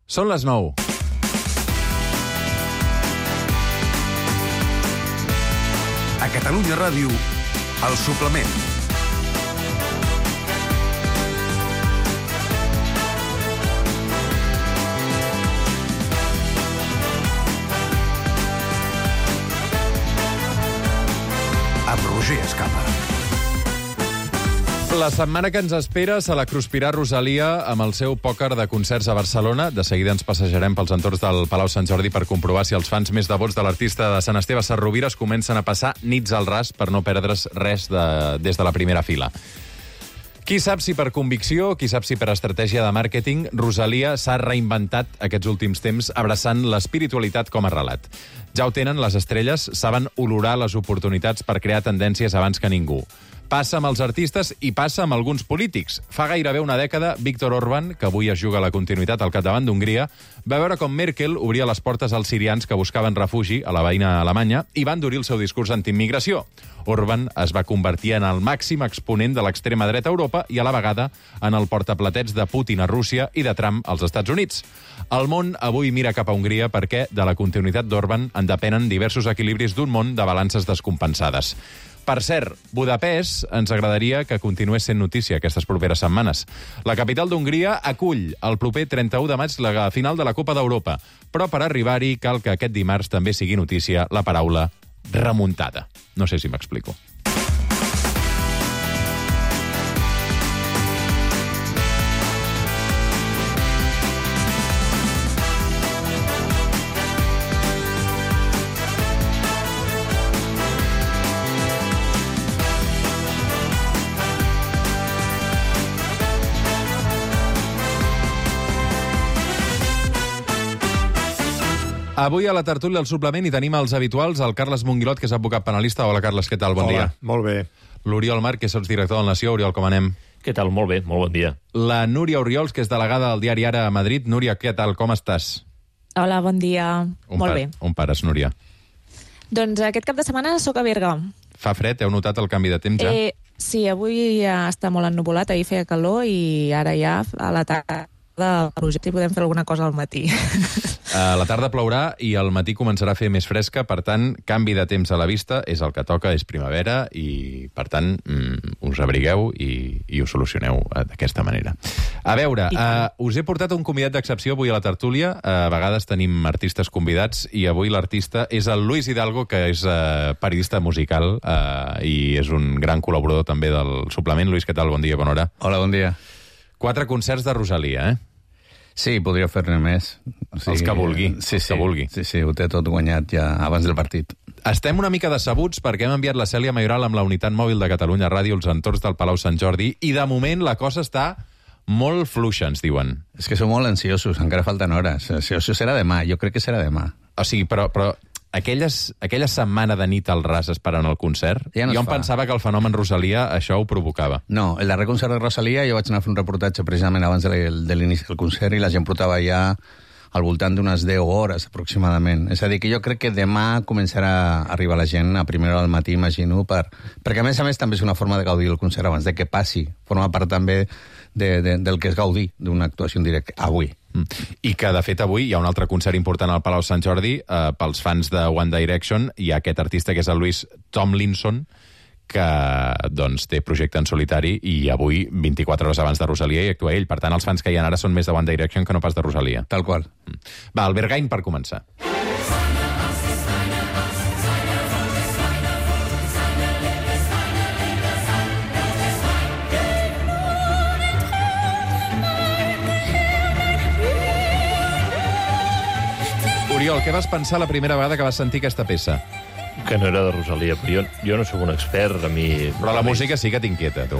Són les 9. A Catalunya Ràdio, El Suplement. Amb Roger Escapa. La setmana que ens espera se la cruspirà Rosalia amb el seu pòquer de concerts a Barcelona. De seguida ens passejarem pels entorns del Palau Sant Jordi per comprovar si els fans més devots de l'artista de Sant Esteve Sesrovires comencen a passar nits al ras per no perdre's res des de la primera fila. Qui sap si per convicció, qui sap si per estratègia de màrqueting, Rosalia s'ha reinventat aquests últims temps abraçant l'espiritualitat com a relat. Ja ho tenen les estrelles, saben olorar les oportunitats per crear tendències abans que ningú. Passa amb els artistes i passa amb alguns polítics. Fa gairebé una dècada, Viktor Orbán, que avui es juga la continuïtat al capdavant d'Hongria, va veure com Merkel obria les portes als sirians que buscaven refugi a la veïna Alemanya i va endurir el seu discurs antiimmigració. Orbán es va convertir en el màxim exponent de l'extrema dreta a Europa i a la vegada en el portaplatets de Putin a Rússia i de Trump als Estats Units. El món avui mira cap a Hongria perquè de la continuïtat d'Orbán en depenen diversos equilibris d'un món de balances descompensades. Per cert, Budapest ens agradaria que continués sent notícia aquestes properes setmanes. La capital d'Hongria acull el proper 31 de maig la final de la Copa d'Europa, però per arribar-hi cal que aquest dimarts també sigui notícia la paraula remuntada. No sé si m'explico. Avui a la tertúlia del suplement hi tenim els habituals, el Carles Monguilot, que és advocat penalista. Hola, Carles, què tal? Bon dia. Molt bé. L'Oriol Marc, que és sotsdirector del Nació. Oriol, com anem? Què tal? Molt bé, molt bon dia. La Núria Oriols, que és delegada del diari Ara a Madrid. Núria, què tal? Com estàs? Hola, bon dia. Molt bé. On pares, Núria? Doncs aquest cap de setmana sóc a Berga. Fa fred? Heu notat el canvi de temps ja? Sí, avui ja està molt ennuvolat, ahir feia calor i ara ja a la tarda i podem fer alguna cosa al matí. A la tarda plourà i al matí començarà a fer més fresca, per tant, canvi de temps a la vista, és el que toca, és primavera, i per tant, us abrigueu i ho solucioneu d'aquesta manera. A veure, us he portat un convidat d'excepció avui a la tertúlia. A vegades tenim artistes convidats i avui l'artista és el Luis Hidalgo, que és periodista musical i és un gran col·laborador també del suplement. Luis, què tal? Bon dia, bona hora. Hola, bon dia. 4 concerts de Rosalia, eh? Sí, podria fer-ne més. O sigui, els que vulgui. Sí, els que vulgui. Sí, ho té tot guanyat ja abans del partit. Estem una mica decebuts perquè hem enviat la Cèlia Mayoral amb la unitat mòbil de Catalunya Ràdio als entorns del Palau Sant Jordi i de moment la cosa està molt fluixa, ens diuen. És que som molt ansiosos, encara falten hores. Això serà demà, jo crec que serà demà. O sigui, però aquella setmana de nit al ras esperant el concert, ja no jo em pensava que el fenomen Rosalia això ho provocava. No, el darrer concert de Rosalia jo vaig anar a fer un reportatge precisament abans de l'inici del concert i la gent portava ja al voltant d'unes 10 hores aproximadament. És a dir, que jo crec que demà començarà a arribar la gent a primera hora del matí, imagino, perquè a més també és una forma de gaudir el concert abans de que passi. Forma part també del que és gaudir d'una actuació en directe avui. I que, de fet, avui hi ha un altre concert important al Palau Sant Jordi. Pels fans de One Direction hi ha aquest artista que és el Louis Tomlinson, que doncs, té projecte en solitari i avui, 24 hores abans de Rosalia, hi actua ell. Per tant, els fans que hi ha ara són més de One Direction que no pas de Rosalia. Tal qual. Va, el Berghain per començar. Oriol, què vas pensar la primera vegada que vas sentir aquesta peça? Que no era de Rosalia, però jo no sóc un expert, a mi... Però la música sí que t'inquieta, tu.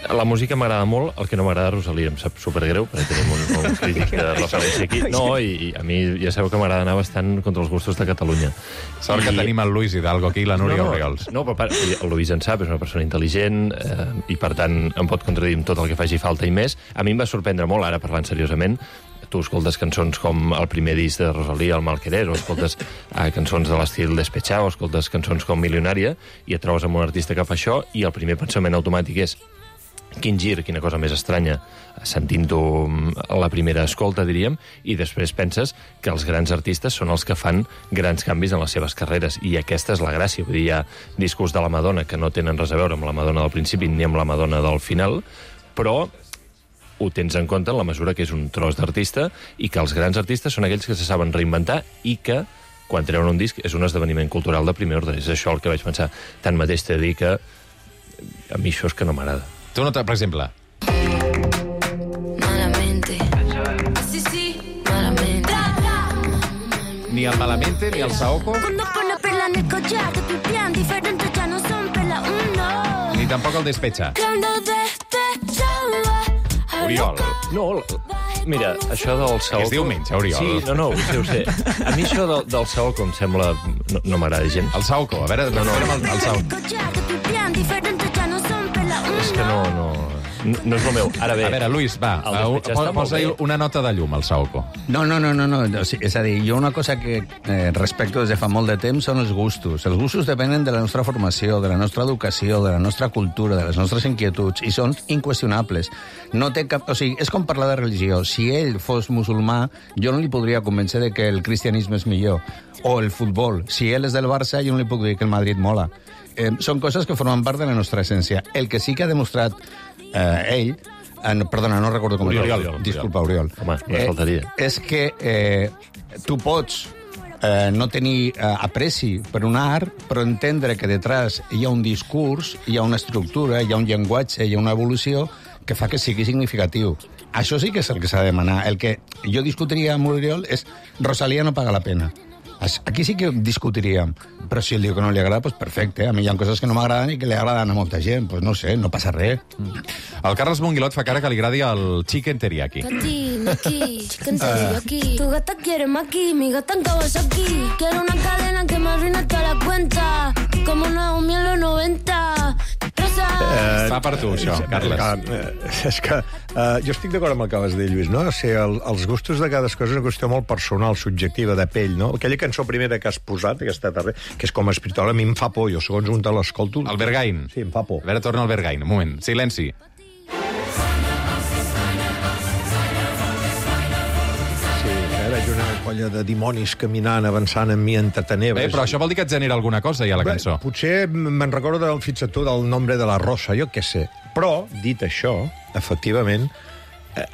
La música m'agrada molt, el que no m'agrada Rosalia em sap supergreu, perquè tenim un crític de referència aquí. No, i a mi ja sabeu que m'agrada anar bastant contra els gustos de Catalunya. Sort que tenim el Luis Hidalgo aquí i la Núria Oriols. No, però el Luis en sap, és una persona intel·ligent i, per tant, em pot contradir amb tot el que faci falta i més. A mi em va sorprendre molt, ara parlant seriosament, tu escoltes cançons com el primer disc de Rosalia, El mal querer, o escoltes cançons de l'estil Despechado, o escoltes cançons com Milionària, i et trobes amb un artista que fa això, i el primer pensament automàtic és quin gir, quina cosa més estranya, sentint-ho a la primera escolta, diríem, i després penses que els grans artistes són els que fan grans canvis en les seves carreres, i aquesta és la gràcia. Vull dir, hi ha discos de la Madonna que no tenen res a veure amb la Madonna del principi ni amb la Madonna del final, però ho tens en compte en la mesura que és un tros d'artista i que els grans artistes són aquells que se saben reinventar i que, quan treuen un disc, és un esdeveniment cultural de primer ordre. És això el que vaig pensar. Tanmateix t'he de dir que a mi això és que no m'agrada. Tu no, per exemple... Malamente. Sí, sí, malamente. Ni el Malamente, ni el Saoko, Cuando pone perla en el collar, te pipián diferentes, ya no son perla uno. ni tampoc el Despecha. Cuando despechaba. Oriol. No, mira, això del Saoko... És diumenge, Oriol. Sí, no, ho sé. A mi això del Saoko em sembla... No m'agrada gens. El Saoko, a veure, recupera'm el Saoko. És que no és el meu. Ara bé... A veure, Luis, va, El Despecha està molt posa-hi bé. una nota de llum al Saoko. No. O sigui, és a dir, jo una cosa que respecto des de fa molt de temps són els gustos. Els gustos depenen de la nostra formació, de la nostra educació, de la nostra cultura, de les nostres inquietuds, i són inqüestionables. No té cap... O sigui, és com parlar de religió. Si ell fos musulmà, jo no li podria convèncer de que el cristianisme és millor. O el futbol. Si ell és del Barça, jo no li puc dir que el Madrid mola. Són coses que formen part de la nostra essència. El que sí que ha demostrat ell... perdona, no recordo com Oriol. Disculpa, Oriol. Home, no faltaria. És que tu pots no tenir apreci per un art, però entendre que detrás hi ha un discurs, hi ha una estructura, hi ha un llenguatge, hi ha una evolució que fa que sigui significatiu. Això sí que és el que s'ha de demanar. El que jo discutiria amb Oriol és Rosalía no paga la pena. Aquí sí que discutiríem, però si ell diu que no li agrada, doncs perfecte. A mi hi ha coses que no m'agraden i que li agraden a molta gent. Doncs no sé, no passa res. El Carles Monguilot fa cara que li agradi el chicken teriyaki. Aquí, chicken teriyaki. Tu gata quiere maqui, mi gata en Kawasaki. Quiero una cadena que me arruina toda la cuenta, como Naomi en los 90. Fa per tu, això, Carles. És que jo estic d'acord amb el que vas dir, Lluís, no? O sigui, els gustos de cadascú és una qüestió molt personal, subjectiva, de pell, no? Aquella cançó primera que has posat, aquesta darrera, que és com espiritual, a mi em fa por, jo segons un te l'escolto... El Bergain. Sí, em fa por. A veure, torna el Bergain. Un moment. Silenci. Veig una colla de dimonis caminant, avançant amb mi entre tenebres. Però això vol dir que et genera alguna cosa, ja, la cançó. Potser me'n recordo del fixa't tu del Nombre de la Rosa, jo què sé. Però, dit això, efectivament,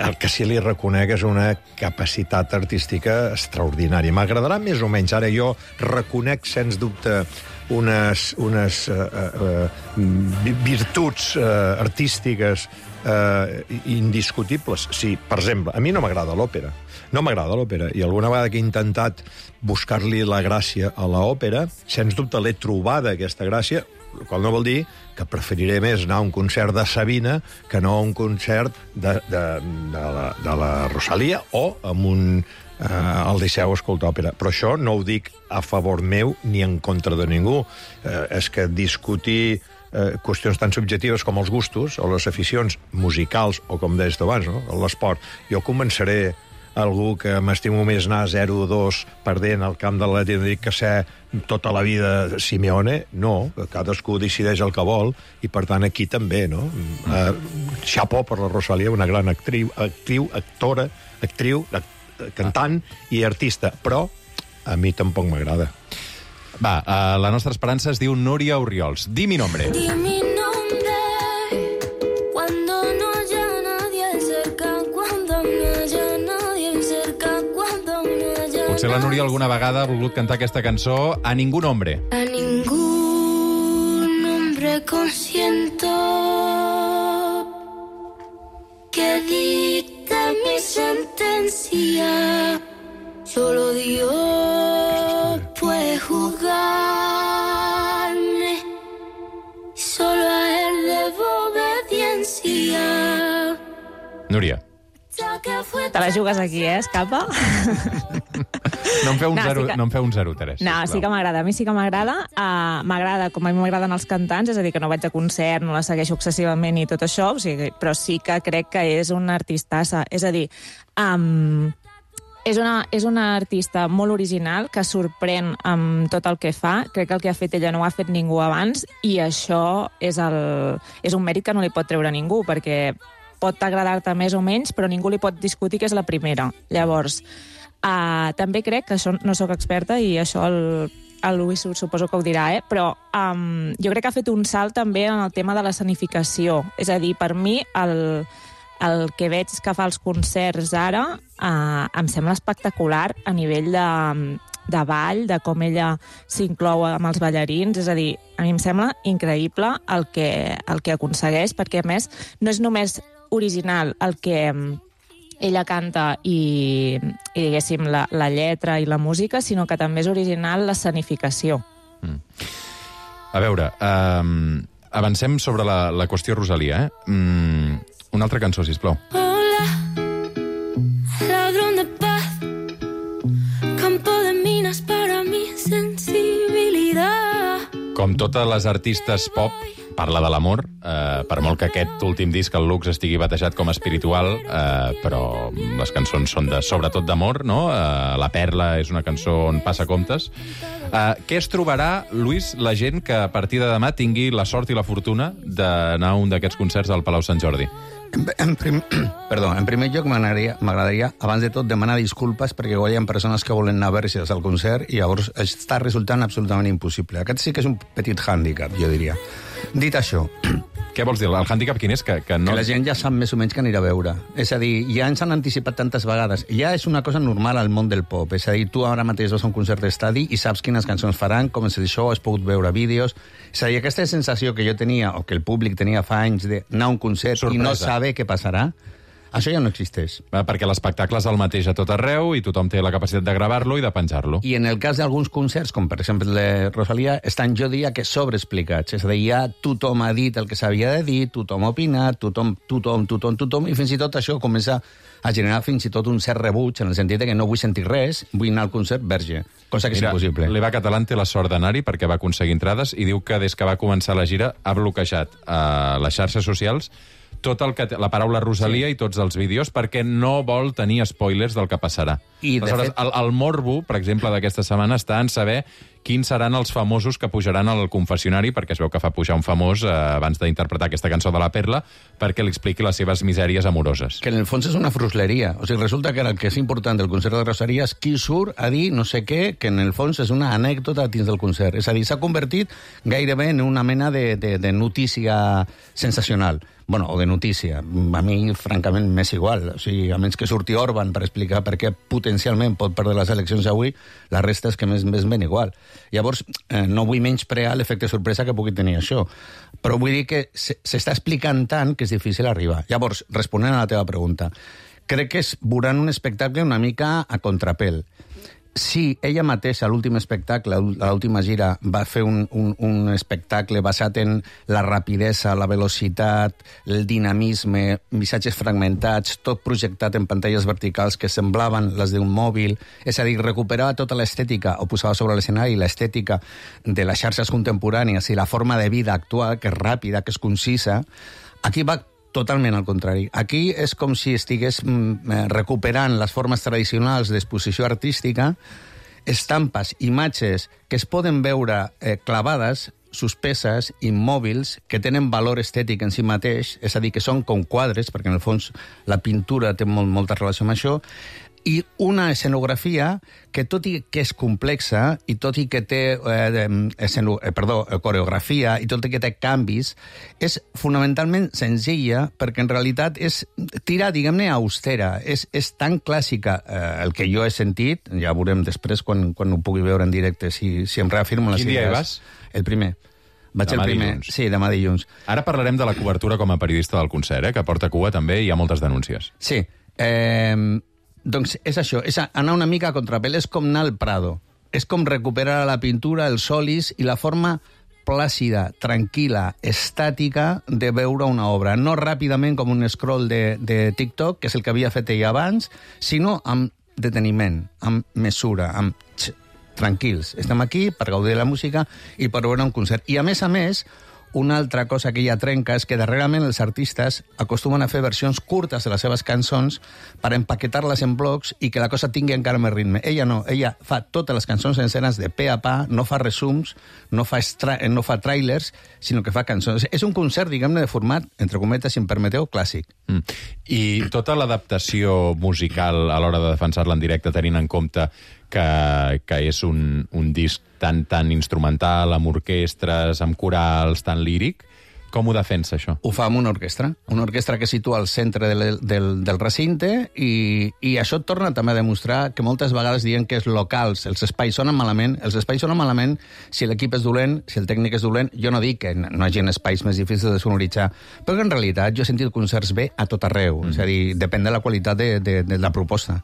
el que sí li reconec és una capacitat artística extraordinària. M'agradarà més o menys. Ara jo reconec, sens dubte, unes virtuts artístiques indiscutibles. Sí, per exemple, a mi no m'agrada l'òpera. No m'agrada l'òpera, i alguna vegada que he intentat buscar-li la gràcia a l'òpera, sens dubte l'he trobada, aquesta gràcia, el qual no vol dir que preferiré més anar a un concert de Sabina que no a un concert de la Rosalía o amb al Liceu escoltar òpera. Però això no ho dic a favor meu ni en contra de ningú. És que discutir qüestions tan subjectives com els gustos o les aficions musicals o, com deies tu abans, no? L'esport. Jo començaré algú que m'estimo més anar 0-2 perdent al camp de l'Atlètic que ser tota la vida Simeone. No, cadascú decideix el que vol i, per tant, aquí també, no? Chapeau per la Rosalía, una gran actriu, actora, cantant i artista, però a mi tampoc m'agrada. Va, la nostra esperança es diu Núria Orriols. Di mi nombre. Di mi nombre cuando no haya nadie cerca, cuando no haya nadie cerca, cuando no haya Potser la Núria alguna vegada ha volgut cantar aquesta cançó a ningú nombre. a ningún hombre consiento que dicte mi sentencia. Solo Dios puede juzgarme, solo a él debo obediencia. Núria. Te la jugues aquí, Escapa? No em feu un No, 0, sí que- no em feu un 0-3. No, sí que m'agrada. A mi sí que m'agrada. M'agrada com a mi m'agraden els cantants, és a dir, que no vaig a concert, no la segueixo excessivament i tot això, o sigui, però sí que crec que és una artistassa. És a dir, És una artista molt original que sorprèn amb tot el que fa. Crec que el que ha fet ella no ho ha fet ningú abans i això és un mèrit que no li pot treure ningú, perquè pot agradar-te més o menys, però ningú li pot discutir que és la primera. Llavors, també crec que això no sóc experta i això el Luis suposo que ho dirà, però jo crec que ha fet un salt també en el tema de l'escenificació. És a dir, per mi el que veig que fa els concerts ara em sembla espectacular a nivell de ball, de com ella s'inclou amb els ballarins. És a dir, a mi em sembla increïble el que aconsegueix, perquè a més no és només original el que ella canta i diguéssim, la lletra i la música, sinó que també és original l'escenificació. A veure, avancem sobre la qüestió Rosalía, Una altra cançó, sisplau. Hola, ladrón de paz, campo de minas para mi sensibilidad. Com totes les artistes pop, parla de l'amor, per molt que aquest últim disc, el Lux, estigui batejat com a espiritual, però les cançons són sobretot d'amor, no? La Perla és una cançó on passa comptes. Què es trobarà, Luis, la gent que a partir de demà tingui la sort i la fortuna d'anar a un d'aquests concerts al Palau Sant Jordi? En primer lloc m'agradaria, abans de tot, demanar disculpes perquè hi ha persones que volen anar a veure al concert i llavors està resultant absolutament impossible. Aquest sí que és un petit hàndicap, jo diria. Dit això... Què vols dir? El hàndicap quin és? Que no... Que la gent ja sap més o menys que anirà a veure. És a dir, ja ens han anticipat tantes vegades. Ja és una cosa normal al món del pop. És a dir, tu ara mateix vas a un concert d'estadi i saps quines cançons faran, com és el show, has pogut veure vídeos... És a dir, aquesta sensació que jo tenia, o que el públic tenia fa anys, d'anar a un concert sorpresa i no saber què passarà, això ja no existeix. Perquè l'espectacle és el mateix a tot arreu i tothom té la capacitat de gravar-lo i de penjar-lo. I en el cas d'alguns concerts, com per exemple el de Rosalía, estan, jo diria, que sobreexplicats. És a dir, ja tothom ha dit el que s'havia de dir, tothom ha opinat, tothom, i fins i tot això comença a generar fins i tot un cert rebuig, en el sentit que no vull sentir res, vull anar al concert verge, cosa que és impossible. L'Eva Catalán té la sort d'anar-hi perquè va aconseguir entrades i diu que des que va començar la gira ha bloquejat a les xarxes socials tot el que la paraula Rosalía i tots els vídeos perquè no vol tenir spoilers del que passarà. I aleshores, el morbo, per exemple, d'aquesta setmana està en saber quins seran els famosos que pujaran al confessionari, perquè es veu que fa pujar un famós abans d'interpretar aquesta cançó de la Perla perquè li expliqui les seves misèries amoroses. Que en el fons és una frusleria. O sigui, resulta que el que és important del concert de Rosalía és qui surt a dir no sé què, que en el fons és una anècdota dins del concert. És a dir, s'ha convertit gairebé en una mena de notícia sensacional. Bueno, o de notícia. A mi, francament, m'és igual. O sigui, a menys que surti Orban per explicar per què potencialment pot perdre les eleccions avui, la resta és que m'és ben igual. Llavors, no vull menysprear l'efecte sorpresa que pugui tenir això, però vull dir que s'està explicant tant que és difícil arribar. Llavors, responent a la teva pregunta, crec que veuran un espectacle una mica a contrapèl. Si ella mateixa, a l'últim espectacle, a l'última gira, va fer un espectacle basat en la rapidesa, la velocitat, el dinamisme, missatges fragmentats, tot projectat en pantalles verticals que semblaven les d'un mòbil, és a dir, recuperava tota l'estètica, o posava sobre l'escenari l'estètica de les xarxes contemporànies i la forma de vida actual, que és ràpida, que és concisa, aquí va totalment al contrari. Aquí és com si estigués recuperant les formes tradicionals d'exposició artística, estampes, imatges que es poden veure clavades, suspeses, immòbils, que tenen valor estètic en si mateix, és a dir, que són com quadres, perquè en el fons la pintura té molta relació amb això, i una escenografia que, tot i que és complexa, i tot i que té coreografia, i tot i que té canvis, és fonamentalment senzilla, perquè en realitat és tira, diguem-ne, austera. És tan clàssica el que jo he sentit, ja veurem després quan ho pugui veure en directe, si em reafirmo les idees. Quin dia hi vas? El primer. Vaig demà el primer. Dilluns. Sí, demà dilluns. Ara parlarem de la cobertura com a periodista del concert, que porta cua també i hi ha moltes denúncies. Sí. Doncs és això, és anar una mica a contrapèl, és com anar al Prado, és com recuperar la pintura, els solis i la forma plàcida, tranquil·la, estàtica de veure una obra. No ràpidament com un scroll de TikTok, que és el que havia fet ella abans, sinó amb deteniment, amb mesura, tranquils. Estem aquí per gaudir de la música i per veure un concert. I a més, una altra cosa que ella trenca és que darrerament els artistes acostumen a fer versions curtes de les seves cançons per empaquetar-les en blocs i que la cosa tingui encara més ritme. Ella no, ella fa totes les cançons senceres de pe a pa, no fa resums, no fa trailers, sinó que fa cançons. És un concert, diguem-ne, de format, entre cometes, si em permeteu, clàssic. I tota l'adaptació musical a l'hora de defensar-la en directe, tenint en compte que és un disc tan instrumental, amb orquestres, amb corals, tan líric, com ho defensa, això? Ho fa amb una orquestra que situa al centre del recinte i això et torna també a demostrar que moltes vegades diuen que els locals, els espais sonen malament si l'equip és dolent, si el tècnic és dolent. Jo no dic que no hi hagi espais més difícils de sonoritzar, però que en realitat jo he sentit concerts bé a tot arreu, és a dir, depèn de la qualitat de la proposta.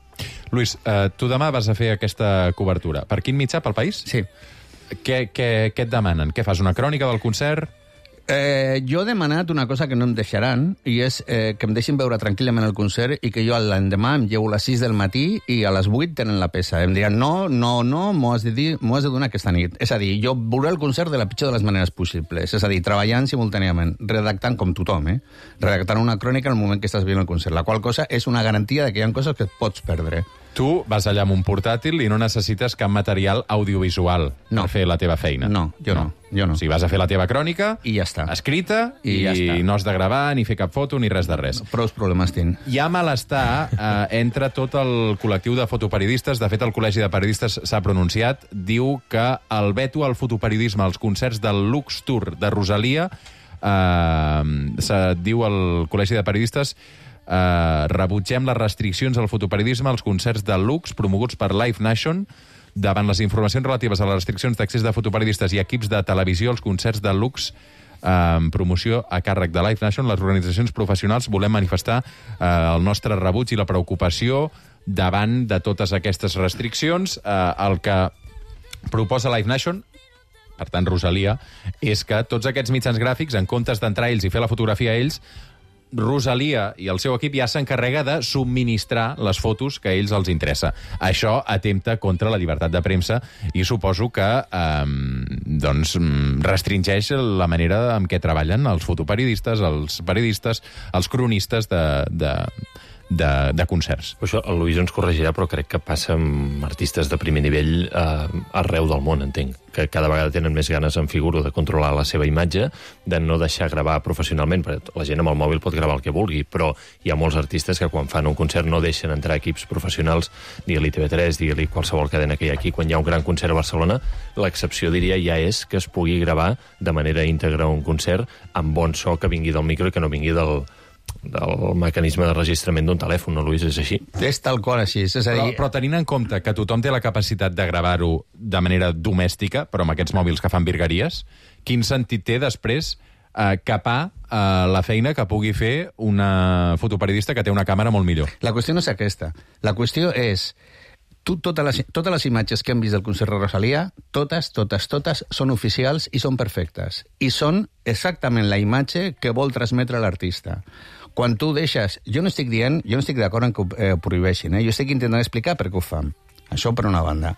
Luis, tu demà vas a fer aquesta cobertura. Per quin mitjà? Pel País? Sí. Què et demanen? Què fas, una crònica del concert? Jo he demanat una cosa que no em deixaran, i és que em deixin veure tranquil·lament el concert i que jo l'endemà em llevo a les 6 del matí i a les 8 tenen la peça. Em diran, no, m'ho has de donar aquesta nit. És a dir, jo veuré el concert de la pitjor de les maneres possibles. És a dir, treballant simultàniament, redactant com tothom, redactant una crònica en el moment que estàs veient el concert, la qual cosa és una garantia de que hi ha coses que et pots perdre. Tu vas allà amb un portàtil i no necessites cap material audiovisual per fer la teva feina. No, jo no. O sigui, vas a fer la teva crònica, i ja està, escrita, i ja està. No has de gravar, ni fer cap foto, ni res de res. Prou problemes tinc. Hi ha malestar entre tot el col·lectiu de fotoperiodistes. De fet, el Col·legi de Periodistes s'ha pronunciat. Diu que el veto al fotoperiodisme als concerts del Lux Tour de Rosalia, diu el Col·legi de Periodistes, rebutgem les restriccions al fotoperiodisme als concerts de Lux promoguts per Live Nation. Davant les informacions relatives a les restriccions d'accés de fotoperiodistes i equips de televisió als concerts de Lux en promoció a càrrec de Live Nation, les organitzacions professionals volem manifestar el nostre rebuig i la preocupació davant de totes aquestes restriccions. El que proposa Live Nation, per tant Rosalia, és que tots aquests mitjans gràfics, en comptes d'entrar ells i fer la fotografia a ells, Rosalia i el seu equip ja s'encarrega de subministrar les fotos que a ells els interessa. Això atempta contra la llibertat de premsa i suposo que restringeix la manera en què treballen els fotoperiodistes, els periodistes, els cronistes de concerts. Això el Luis ens corregirà, però crec que passa amb artistes de primer nivell arreu del món, entenc, que cada vegada tenen més ganes, en figuro, de controlar la seva imatge, de no deixar gravar professionalment, perquè la gent amb el mòbil pot gravar el que vulgui, però hi ha molts artistes que quan fan un concert no deixen entrar equips professionals, digue-li TV3, digue-li qualsevol cadena que hi ha aquí. Quan hi ha un gran concert a Barcelona, l'excepció, diria, ja és que es pugui gravar de manera íntegra un concert amb bon so que vingui del micro i que no vingui del mecanisme de registrament d'un telèfon, no, Luis? És així? És tal qual així. És a dir... però tenint en compte que tothom té la capacitat de gravar-ho de manera domèstica, però amb aquests mòbils que fan virgueries, quin sentit té després capar la feina que pugui fer una fotoperiodista que té una càmera molt millor? La qüestió no és aquesta. La qüestió és... Totes les imatges que hem vist del concert de Rosalia, totes són oficials i són perfectes. I són exactament la imatge que vol transmetre l'artista. Quan tu deixes... Jo no estic d'acord en que ho prohibeixin, jo estic intentant explicar per què ho fan. Això per una banda.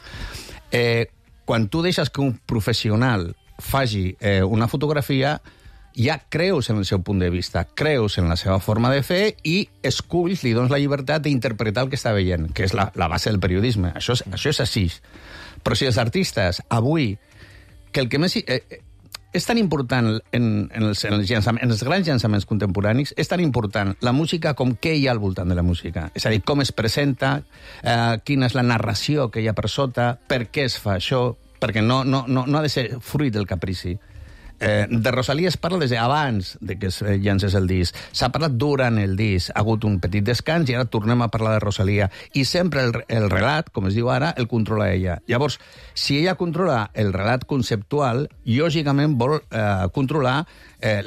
Quan tu deixes que un professional faci una fotografia, ja creus en el seu punt de vista, creus en la seva forma de fer i esculls, li dones la llibertat d'interpretar el que està veient, que és la base del periodisme. Això és així. Però si els artistes, avui, que el que més... és tan important en els grans llançaments contemporanis, és tan important la música com què hi ha al voltant de la música. És a dir, com es presenta, quina és la narració que hi ha per sota, per què es fa això, perquè no ha de ser fruit del caprici. De Rosalia es parla des d'abans que es llancés el disc. S'ha parlat durant el disc. Ha hagut un petit descans i ara tornem a parlar de Rosalia. I sempre el relat, com es diu ara, el controla ella. Llavors, si ella controla el relat conceptual, lògicament vol controlar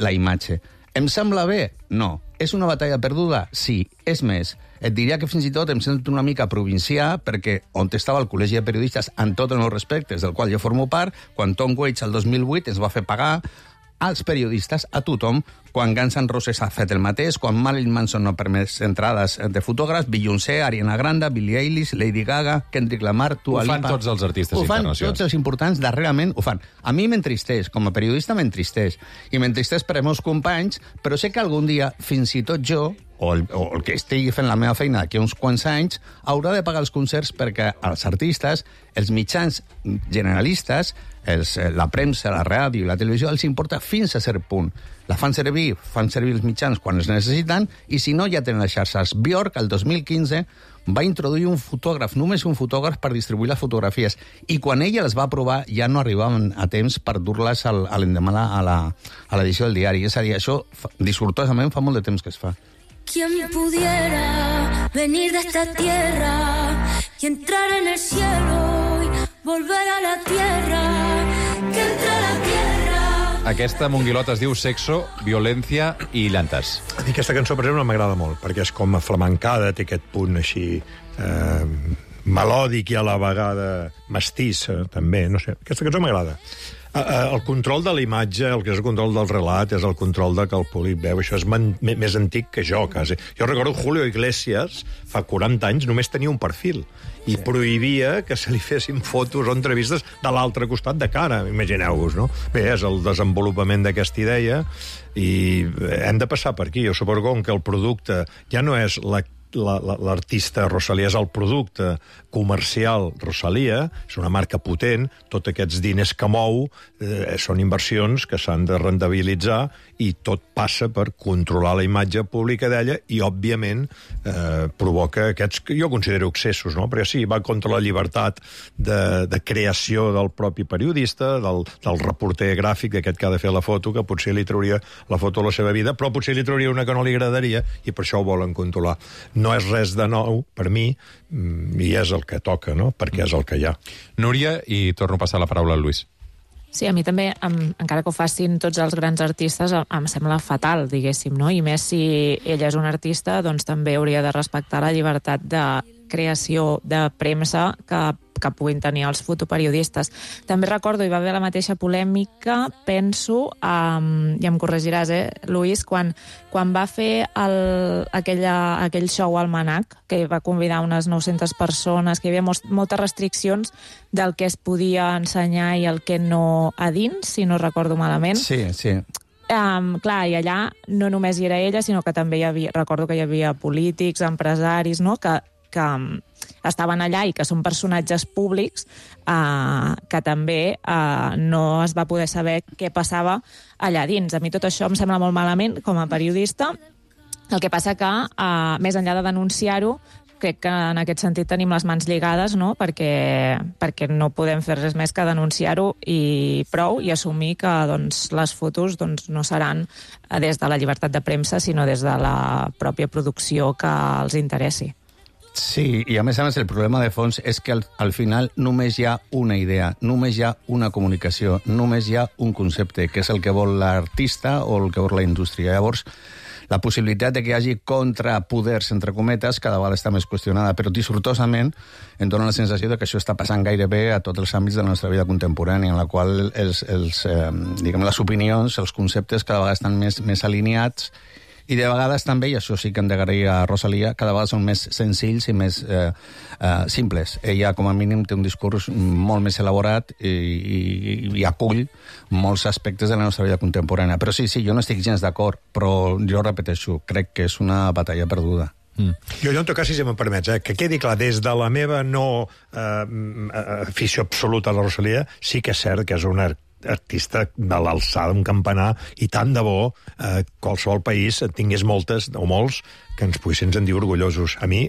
la imatge. Em sembla bé? No. És una batalla perduda? Sí. És més, et diria que fins i tot em sento una mica provincià perquè on estava el Col·legi de Periodistes, en tots els respectes, del qual jo formo part, quan Tom Waits el 2008 ens va fer pagar als periodistes, a tothom, quan Guns N' Roses ha fet el mateix, quan Marilyn Manson no permet entrades de fotògrafs, Beyoncé, Ariana Grande, Billie Eilish, Lady Gaga, Kendrick Lamar, Dua Lipa... Ho fan tots els artistes internacionals. Ho fan tots els importants, darrerament ho fan. A mi m'entristeix, com a periodista m'entristeix, i m'entristeix per als meus companys, però sé que algun dia, fins i tot jo, o el que estigui fent la meva feina d'aquí uns quants anys, haurà de pagar els concerts perquè els artistes, els mitjans generalistes, la premsa, la ràdio i la televisió, els importa fins a cert punt. La fan servir els mitjans quan els necessiten, i si no, ja tenen les xarxes. Björk, el 2015, va introduir un fotògraf, només un fotògraf, per distribuir les fotografies. I quan ella les va provar, ja no arribaven a temps per dur-les a l'endemà a l'edició del diari. És a dir, això, dissortosament, fa molt de temps que es fa. ¿Quién pudiera venir de esta tierra y entrar en el cielo y volver a la tierra? Que entre a la tierra. Aquesta monguilota es diu Sexo, Violència i Llantes. Aquesta cançó, per exemple, m'agrada molt, perquè és com aflamencada, té aquest punt així melòdic i a la vegada mestís, també, no sé. Aquesta cançó m'agrada. El control de la imatge, el que és el control del relat, és el control de que el públic veu. Això és més antic que jo, quasi. Jo recordo Julio Iglesias, fa 40 anys, només tenia un perfil i prohibia que se li fessin fotos o entrevistes de l'altre costat de cara. Imagineu-vos, no? Bé, és el desenvolupament d'aquesta idea i hem de passar per aquí. Jo suposo que el producte ja no és l'artista Rosalía, és el producte comercial Rosalía, és una marca potent, tots aquests diners que mou són inversions que s'han de rendibilitzar i tot passa per controlar la imatge pública d'ella i, òbviament, provoca aquests, que jo considero excessos, no? Perquè sí, va contra la llibertat de creació del propi periodista, del reporter gràfic d'aquest que ha de fer la foto, que potser li trauria la foto a la seva vida, però potser li trauria una que no li agradaria i per això ho volen controlar. No és res de nou, per mi, i és el que toca, no? Perquè és el que hi ha. Núria, i torno a passar la paraula al Lluís. Sí, a mi també, encara que ho facin tots els grans artistes, em sembla fatal, diguéssim, no? I més si ella és un artista, doncs també hauria de respectar la llibertat de creació de premsa que puguin tenir els fotoperiodistes. També recordo, hi va haver la mateixa polèmica, penso, i em corregiràs, Luis, quan va fer aquell show al Manac, que va convidar unes 900 persones, que hi havia moltes restriccions del que es podia ensenyar i el que no a dins, si no recordo malament. Sí. Clar, i allà no només hi era ella, sinó que també recordo que hi havia polítics, empresaris, no?, que estaven allà i que són personatges públics, que també no es va poder saber què passava allà dins. A mi tot això em sembla molt malament com a periodista. El que passa que, més enllà de denunciar-ho, crec que en aquest sentit tenim les mans lligades, no? Perquè no podem fer res més que denunciar-ho i prou, i assumir que doncs, les fotos doncs, no seran des de la llibertat de premsa, sinó des de la pròpia producció que els interessi. Sí, i a més el problema de fons és que al final només hi ha una idea, només hi ha una comunicació, només hi ha un concepte, que és el que vol l'artista o el que vol la indústria. Llavors, la possibilitat de que hi hagi contrapoders, entre cometes, cada vegada està més qüestionada, però dissortosament em dóna la sensació de que això està passant gairebé a tots els àmbits de la nostra vida contemporània, en la qual les opinions, els conceptes cada vegada estan més alineats. I de vegades també, i això sí que hem d'agrair a Rosalía, cada vegada són més senzills i més simples. Ella, com a mínim, té un discurs molt més elaborat i acull molts aspectes de la nostra vida contemporània. Però sí, jo no estic gens d'acord, però jo repeteixo, crec que és una batalla perduda. Jo, en tot cas, si me'n permets, que quedi clar, des de la meva no afició absoluta a la Rosalía, sí que és cert que és una artista de l'alçada, un campanar, i tant de bo qualsevol país tingués moltes o molts que ens poguessin sentir orgullosos. A mi,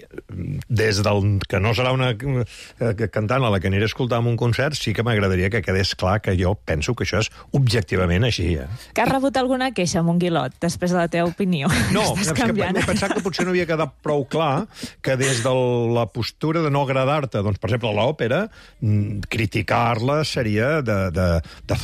des del que no serà una cantant a la que aniré a escoltar en un concert, sí que m'agradaria que quedés clar que jo penso que això és objectivament així. Que has rebut alguna queixa, Monguilot, després de la teva opinió? No, és que he pensat que potser no havia quedat prou clar que des de la postura de no agradar-te, doncs, per exemple, a l'òpera, criticar-la seria de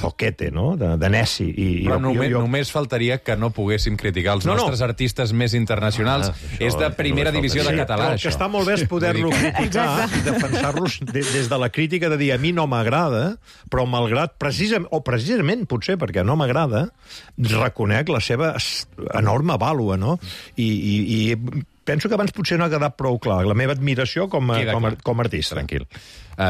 zoquete, no?, de neci. Però només faltaria que no poguéssim criticar els nostres artistes més internacionals, és de primera divisió de català, però el que això. està molt bé és poder-lo criticar i defensar-los des de la crítica de dir a mi no m'agrada, però malgrat, precisament, potser perquè no m'agrada, reconec la seva enorme vàlua, no? I penso que abans potser no ha quedat prou clar la meva admiració com a artista. Tranquil.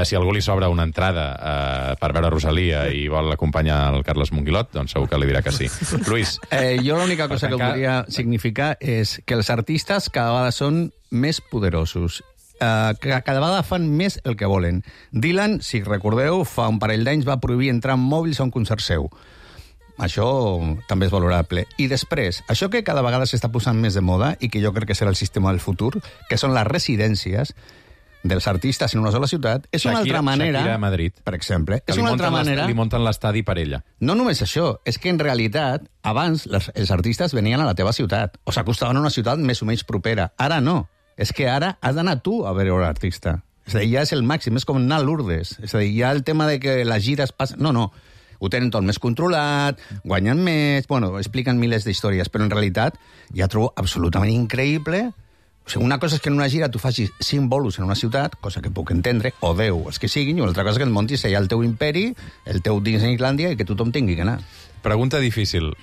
Si algú li sobra una entrada per veure Rosalia i vol acompanyar el Carles Monguilot, doncs segur que li dirà que sí. Luis. Jo l'única cosa que voldria significar és que els artistes cada vegada són més poderosos. Cada vegada fan més el que volen. Dylan, si recordeu, fa un parell d'anys va prohibir entrar amb mòbils a un concert seu. Això també és valorable. I després, això que cada vegada s'està posant més de moda i que jo crec que serà el sistema del futur, que són les residències dels artistes en una sola ciutat, és una altra manera... Shakira a Madrid. Per exemple. És una altra manera... Li munten l'estadi per ella. No només això, és que en realitat, abans els artistes venien a la teva ciutat, o s'acostaven a una ciutat més o menys propera. Ara no. És que ara has d'anar tu a veure l'artista. És a dir, ja és el màxim, és com anar a Lourdes. És a dir, ja el tema de que les gires passen... No. Ho tenen tot més controlat, guanyen més, bueno, expliquen milers d'històries, però en realitat ja trobo absolutament increïble. O sigui, una cosa és que en una gira tu facis 5 bolos en una ciutat, cosa que puc entendre, o 10, els que siguin, i una altra cosa que et montis allà el teu imperi, el teu Disneylandia, i que tothom tingui que anar. Pregunta difícil.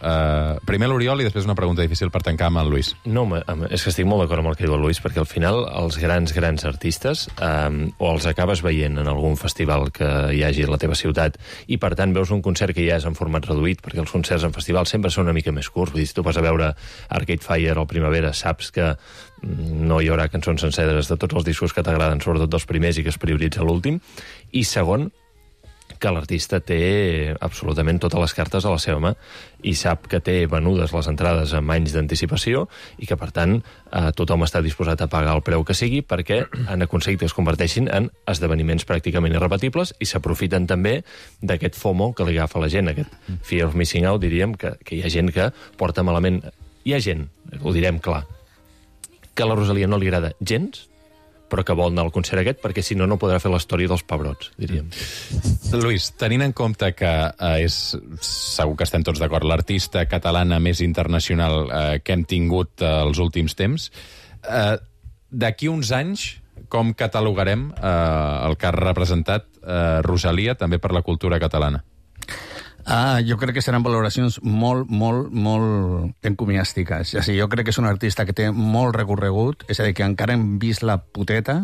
Primer l'Oriol i després una pregunta difícil per tancar amb el Luis. No, és que estic molt d'acord amb el que diu el Luis, perquè al final els grans artistes o els acabes veient en algun festival que hi hagi a la teva ciutat i, per tant, veus un concert que ja és en format reduït, perquè els concerts en festival sempre són una mica més curts. Vull dir, si tu vas a veure Arcade Fire al Primavera, saps que no hi haurà cançons senceres de tots els discos que t'agraden, sobretot dels primers, i que es prioritza l'últim. I segon, que l'artista té absolutament totes les cartes a la seva mà i sap que té venudes les entrades amb anys d'anticipació i que, per tant, tothom està disposat a pagar el preu que sigui perquè han aconseguit que es converteixin en esdeveniments pràcticament irrepetibles i s'aprofiten també d'aquest FOMO que li agafa la gent, aquest fear of missing out, diríem, que hi ha gent que porta malament... Hi ha gent, ho direm clar, que a la Rosalia no li agrada gens, però que vol anar al concert aquest, perquè si no, no podrà fer la història dels pebrots, diríem. Luis, tenint en compte que segur que estem tots d'acord, l'artista catalana més internacional que hem tingut els últims temps, d'aquí uns anys, com catalogarem el que ha representat Rosalia també per la cultura catalana? Jo crec que seran valoracions molt encomiàstiques. O sigui, jo crec que és un artista que té molt recorregut, és a dir, que encara hem vist la puteta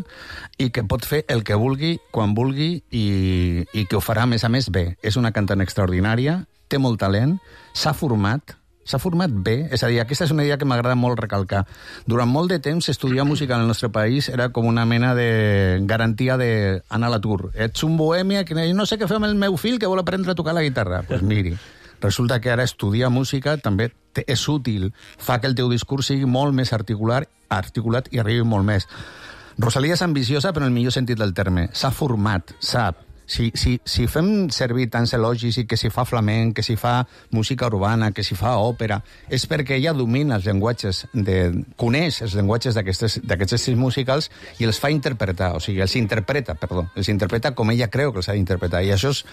i que pot fer el que vulgui, quan vulgui, i que ho farà, a més bé. És una cantant extraordinària, té molt talent, s'ha format bé, és a dir, aquesta és una idea que m'agrada molt recalcar. Durant molt de temps, estudiar música en el nostre país era com una mena de garantia d'anar a l'atur. Ets un bohèmia que no sé què fer amb el meu fill que vol aprendre a tocar la guitarra. Doncs pues miri, resulta que ara estudiar música també és útil, fa que el teu discurs sigui molt més articulat i arribi molt més. Rosalia és ambiciosa, però en el millor sentit del terme. S'ha format, sap. Si fem servir tants elogis i que si fa flamenc, que si fa música urbana, que si fa òpera, és perquè ella domina els llenguatges, coneix els llenguatges d'aquests estils musicals i els fa interpretar, o sigui, els interpreta com ella creu que els ha d'interpretar, i això és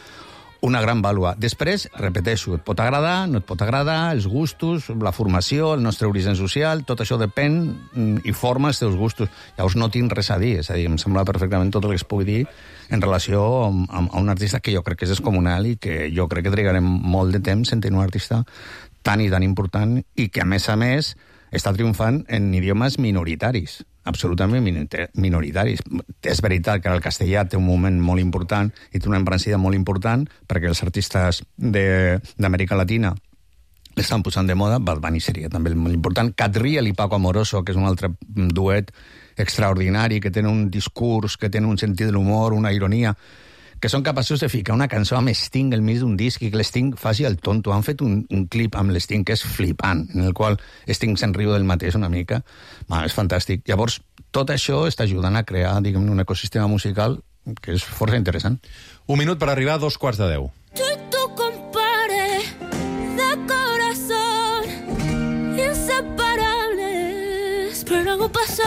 una gran vàlua. Després, repeteixo, et pot agradar, no et pot agradar, els gustos, la formació, el nostre origen social, tot això depèn i forma els teus gustos. Llavors no tinc res a dir, és a dir, em sembla perfectament tot el que es pugui dir en relació amb un artista que jo crec que és descomunal i que jo crec que trigarem molt de temps en tenir un artista tan i tan important i que, a més, està triomfant en idiomes minoritaris, absolutament minoritaris. És veritat que el castellà té un moment molt important i té una embranzida molt important perquè els artistes d'Amèrica Latina l'estan posant de moda. Bad Bunny seria també molt important. Cat Riel i Paco Amoroso, que és un altre duet extraordinari, que tenen un discurs, que tenen un sentit de l'humor, una ironia, que són capaços de ficar una cançó amb Sting al mig d'un disc i que l'Sting faci el tonto. Han fet un clip amb l'Sting que és flipant, en el qual Sting se'n riu del mateix una mica. És fantàstic. Llavors, tot això està ajudant a crear, diguem, un ecosistema musical que és força interessant. Un minut per arribar a 2:15. Tú y tu compadre de corazón, inseparables, pero algo pasa.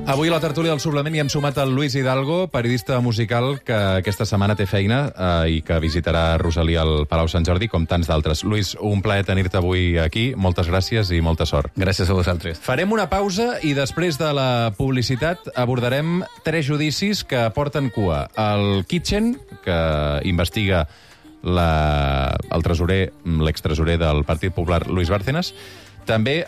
Avui a la tertúlia del suplement hi hem sumat el Luis Hidalgo, periodista musical que aquesta setmana té feina i que visitarà Rosalía al Palau Sant Jordi, com tants d'altres. Luis, un plaer tenir-te avui aquí. Moltes gràcies i molta sort. Gràcies a vosaltres. Farem una pausa i després de la publicitat abordarem 3 judicis que porten cua. El Kitchen, que investiga el tresorer, l'extresorer del Partit Popular, Luis Bárcenas. També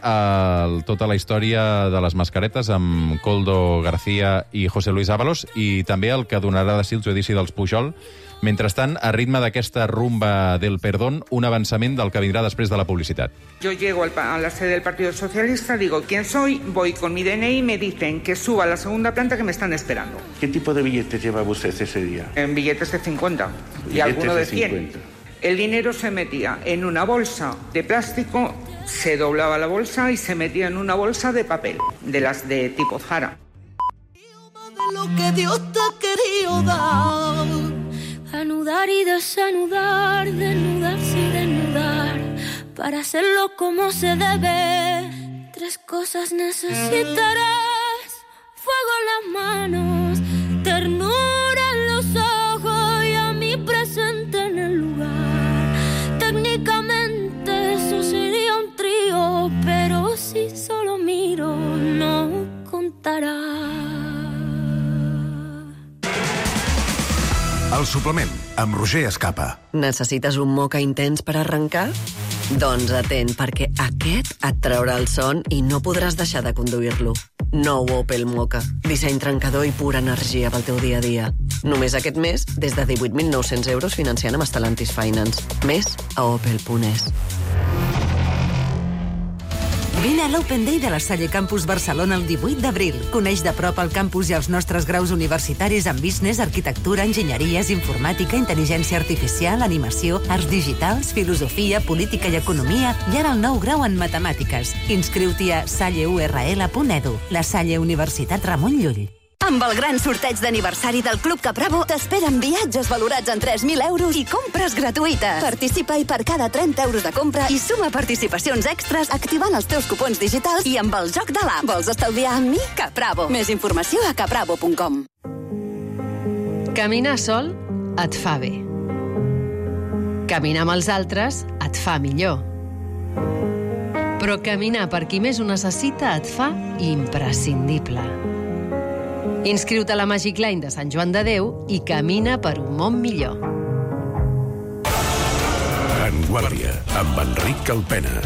tota la història de les mascaretes amb Koldo García i José Luis Ábalos, i també el que donarà de si el judici dels Pujol. Mentrestant, a ritme d'aquesta rumba del perdón, un avançament del que vindrà després de la publicitat. Yo llego a la sede del Partido Socialista, digo quién soy, voy con mi DNI y me dicen que suba a la segunda planta que me están esperando. ¿Qué tipo de billetes llevaba usted ese día? En billetes de 50 y Billetes alguno de 100. 50. El dinero se metía en una bolsa de plástico, se doblaba la bolsa y se metía en una bolsa de papel, de las de tipo Zara. Lo que Dios te ha querido dar. Anudar y desanudar, desnudarse y desnudar, para hacerlo como se debe. 3 cosas necesitarás: fuego en las manos, ternura en los ojos y a mí presente en el lugar. Técnicamente eso sería un trío, pero si solo miro no contará. El suplement, amb Roger Escapa. Necessites un moca intens per arrencar? Doncs atent, perquè aquest et traurà el son i no podràs deixar de conduir-lo. Nou Opel Moka. Disseny trencador i pura energia pel teu dia a dia. Només aquest mes, des de 18.900 euros financiant amb Stellantis Finance. Més a opel.es. Vine a l'Open Day de la Salle Campus Barcelona el 18 d'abril. Coneix de prop el campus i els nostres graus universitaris en business, arquitectura, enginyeries, informàtica, intel·ligència artificial, animació, arts digitals, filosofia, política i economia, i ara el nou grau en matemàtiques. Inscriu-t'hi a salleurl.edu. La Salle Universitat Ramon Llull. Amb el gran sorteig d'aniversari del Club Capravo t'esperen viatges valorats en 3.000 euros i compres gratuïtes. Participa i per cada 30 euros de compra i suma participacions extras activant els teus cupons digitals i amb el joc de l'app. Vols estalviar amb mi? Capravo. Més informació a capravo.com. Caminar sol et fa bé. Caminar amb els altres et fa millor. Però caminar per qui més ho necessita et fa imprescindible. Inscriu-te a la Magic Line de Sant Joan de Déu i camina per un món millor. En Guàrdia, amb Enric Calpena.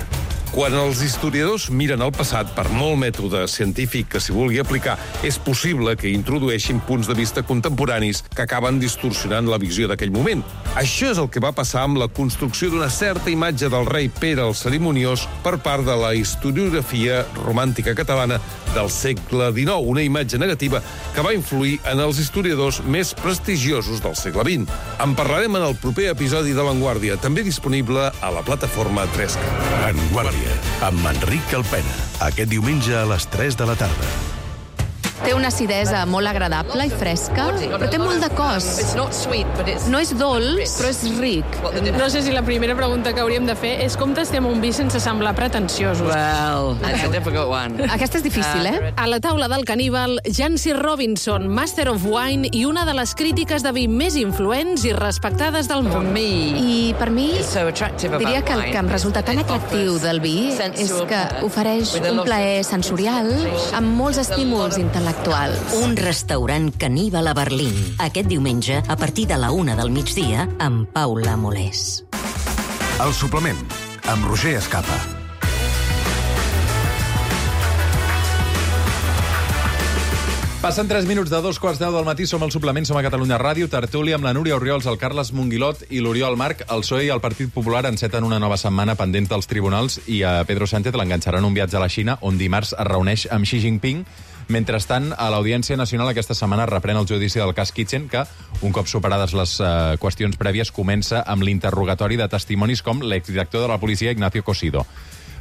Quan els historiadors miren al passat, per molt mètode científic que s'hi vulgui aplicar, és possible que introdueixin punts de vista contemporanis que acaben distorsionant la visió d'aquell moment. Això és el que va passar amb la construcció d'una certa imatge del rei Pere el Cerimoniós per part de la historiografia romàntica catalana del segle XIX, una imatge negativa que va influir en els historiadors més prestigiosos del segle XX. En parlarem en el proper episodi de L'Enguàrdia, també disponible a la plataforma 3K. En Guàrdia, amb Enric Calpena. Aquest diumenge a les 3 de la tarda. Té una acidesa molt agradable i fresca, però té molt de cos. No és dolç, però és ric. No sé si la primera pregunta que hauríem de fer és com tastem un vi sense semblar pretensiosos. Well, that's a difficult one. Aquesta és difícil, eh? A la taula del caníbal, Jancy Robinson, Master of Wine i una de les crítiques de vi més influents i respectades del món. I per mi, diria que el que em resulta tan atractiu del vi és que ofereix un plaer sensorial amb molts estímuls intel·lectuals. Un restaurant caníbal a Berlín. Aquest diumenge, a partir de la 1 del migdia, amb Paula Molés. El suplement, amb Roger Escapa. Passen 3 minuts de 2:15 del matí, som al suplement, som a Catalunya Ràdio, tertúlia amb la Núria Orriols, el Carles Monguilot i l'Oriol Marc. El PSOE i el Partit Popular enceten una nova setmana pendent dels tribunals i a Pedro Sánchez l'enganxaran un viatge a la Xina, on dimarts es reuneix amb Xi Jinping. Mentrestant, a l'Audiència Nacional aquesta setmana reprèn el judici del cas Kitchen, que, un cop superades les qüestions prèvies, comença amb l'interrogatori de testimonis com l'exdirector de la policia Ignacio Cosido.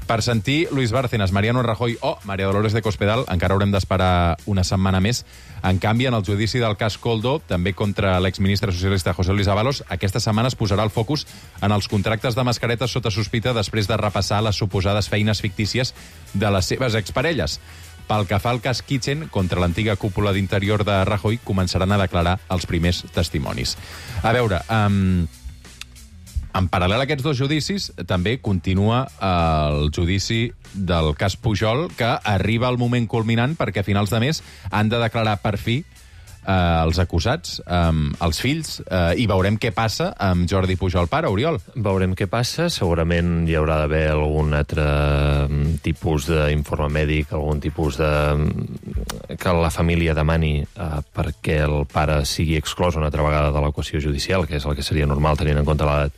Per sentir Luis Bárcenas, Mariano Rajoy o María Dolores de Cospedal encara haurem d'esperar una setmana més. En canvi, en el judici del cas Koldo, també contra l'exministre socialista José Luis Ábalos, aquesta setmana es posarà el focus en els contractes de mascaretes sota sospita després de repassar les suposades feines fictícies de les seves exparelles. Pel que fa al cas Kitchen, contra l'antiga cúpula d'interior de Rajoy, començaran a declarar els primers testimonis. A veure, en paral·lel a aquests dos judicis, també continua el judici del cas Pujol, que arriba al moment culminant perquè a finals de mes han de declarar per fi els acusats, els fills, i veurem què passa amb Jordi Pujol pare, Oriol. Veurem què passa. Segurament hi haurà d'haver algun altre tipus d'informe mèdic, algun tipus de... que la família demani perquè el pare sigui exclòs una altra vegada de l'equació judicial, que és el que seria normal tenint en compte l'edat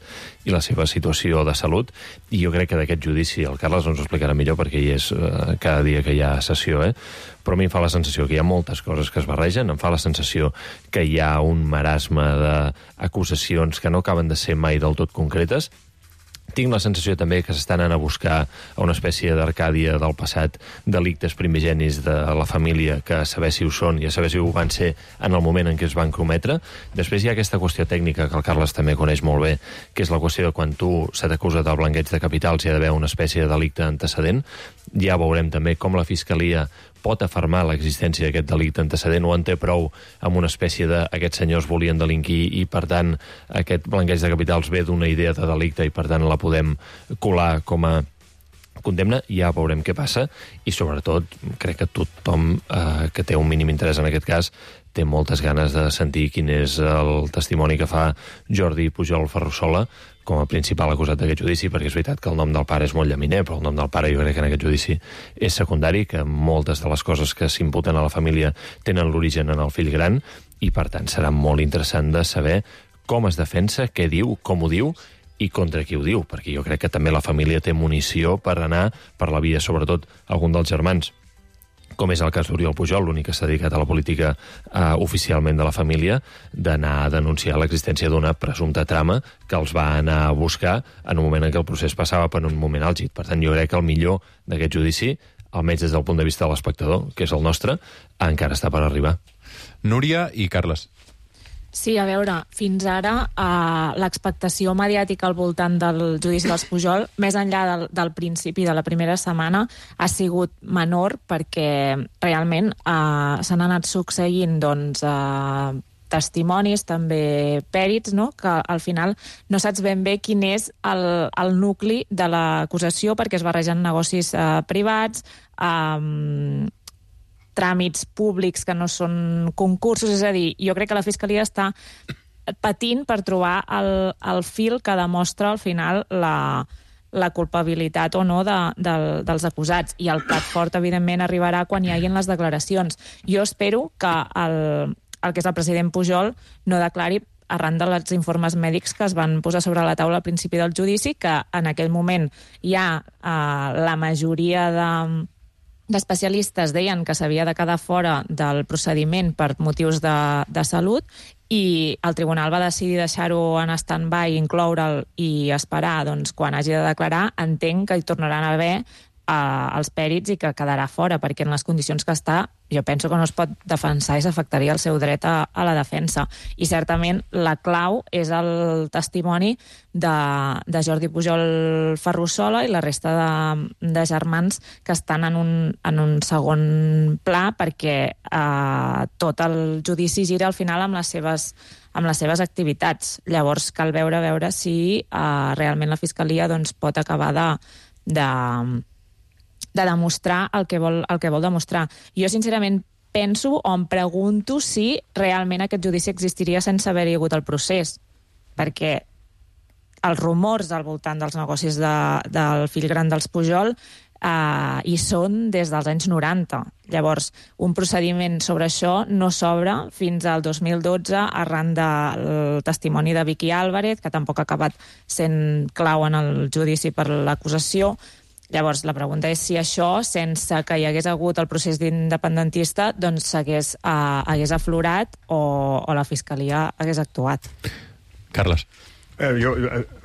i la seva situació de salut. I jo crec que d'aquest judici el Carles ens ho explicarà millor perquè hi és cada dia que hi ha sessió, però a mi em fa la sensació que hi ha moltes coses que es barregen, em fa la sensació que hi ha un marasme d'acusacions que no acaben de ser mai del tot concretes. Tinc la sensació també que s'estan anant a buscar a una espècie d'Arcàdia del passat delictes primigenis de la família que a saber si ho són i a saber si ho van ser en el moment en què es van cometre. Després hi ha aquesta qüestió tècnica que el Carles també coneix molt bé, que és la qüestió de quan tu se t'acusa del blanqueig de capitals hi ha d'haver una espècie de delicte antecedent. Ja veurem també com la Fiscalia pot afermar l'existència d'aquest delicte antecedent o en té prou amb una espècie de aquests senyors volien delinquir i, per tant, aquest blanqueig de capitals ve d'una idea de delicte i, per tant, la podem colar com a condemna. Ja veurem què passa i, sobretot, crec que tothom que té un mínim interès en aquest cas té moltes ganes de sentir quin és el testimoni que fa Jordi Pujol Ferrusola com a principal acusat d'aquest judici, perquè és veritat que el nom del pare és molt llaminer, però el nom del pare jo crec que en aquest judici és secundari, que moltes de les coses que s'imputen a la família tenen l'origen en el fill gran, i per tant serà molt interessant de saber com es defensa, què diu, com ho diu, i contra qui ho diu, perquè jo crec que també la família té munició per anar per la via, sobretot algun dels germans, com és el cas d'Oriol Pujol, l'únic que s'ha dedicat a la política oficialment de la família, d'anar a denunciar l'existència d'una presumpta trama que els va anar a buscar en un moment en què el procés passava per un moment àlgid. Per tant, jo crec que el millor d'aquest judici, almenys des del punt de vista de l'espectador, que és el nostre, encara està per arribar. Núria i Carles. Sí, a veure, fins ara l'expectació mediàtica al voltant del judici dels Pujol, més enllà del principi de la primera setmana, ha sigut menor perquè realment s'han anat succeint testimonis, també pèrits, no? Que al final no saps ben bé quin és el nucli de l'acusació perquè es barregen negocis privats, tràmits públics que no són concursos, és a dir, jo crec que la Fiscalia està patint per trobar el fil que demostra al final la culpabilitat o no dels acusats, i el plat fort, evidentment, arribarà quan hi hagin les declaracions. Jo espero que el que és el president Pujol no declari arran dels informes mèdics que es van posar sobre la taula al principi del judici, que en aquell moment ja la majoria d'especialistes deien que s'havia de quedar fora del procediment per motius de salut, i el tribunal va decidir deixar-ho en stand-by, incloure'l i esperar quan hagi de declarar. Entenc que hi tornaran a haver els pèrits i que quedarà fora, perquè en les condicions que està jo penso que no es pot defensar i s'afectaria el seu dret a la defensa. I certament la clau és el testimoni de Jordi Pujol Ferrusola i la resta de germans que estan en un segon pla, perquè tot el judici gira al final amb les seves activitats. Llavors cal veure si realment la Fiscalia pot acabar de demostrar el que vol demostrar. Jo, sincerament, penso o em pregunto si realment aquest judici existiria sense haver-hi hagut el procés, perquè els rumors al voltant dels negocis del fill gran dels Pujol hi són des dels anys 90. Llavors, un procediment sobre això no s'obre fins al 2012 arran del testimoni de Vicky Álvarez, que tampoc ha acabat sent clau en el judici per l'acusació. Llavors, la pregunta és si això, sense que hi hagués hagut el procés independentista, hagués aflorat o la Fiscalia hagués actuat. Carles.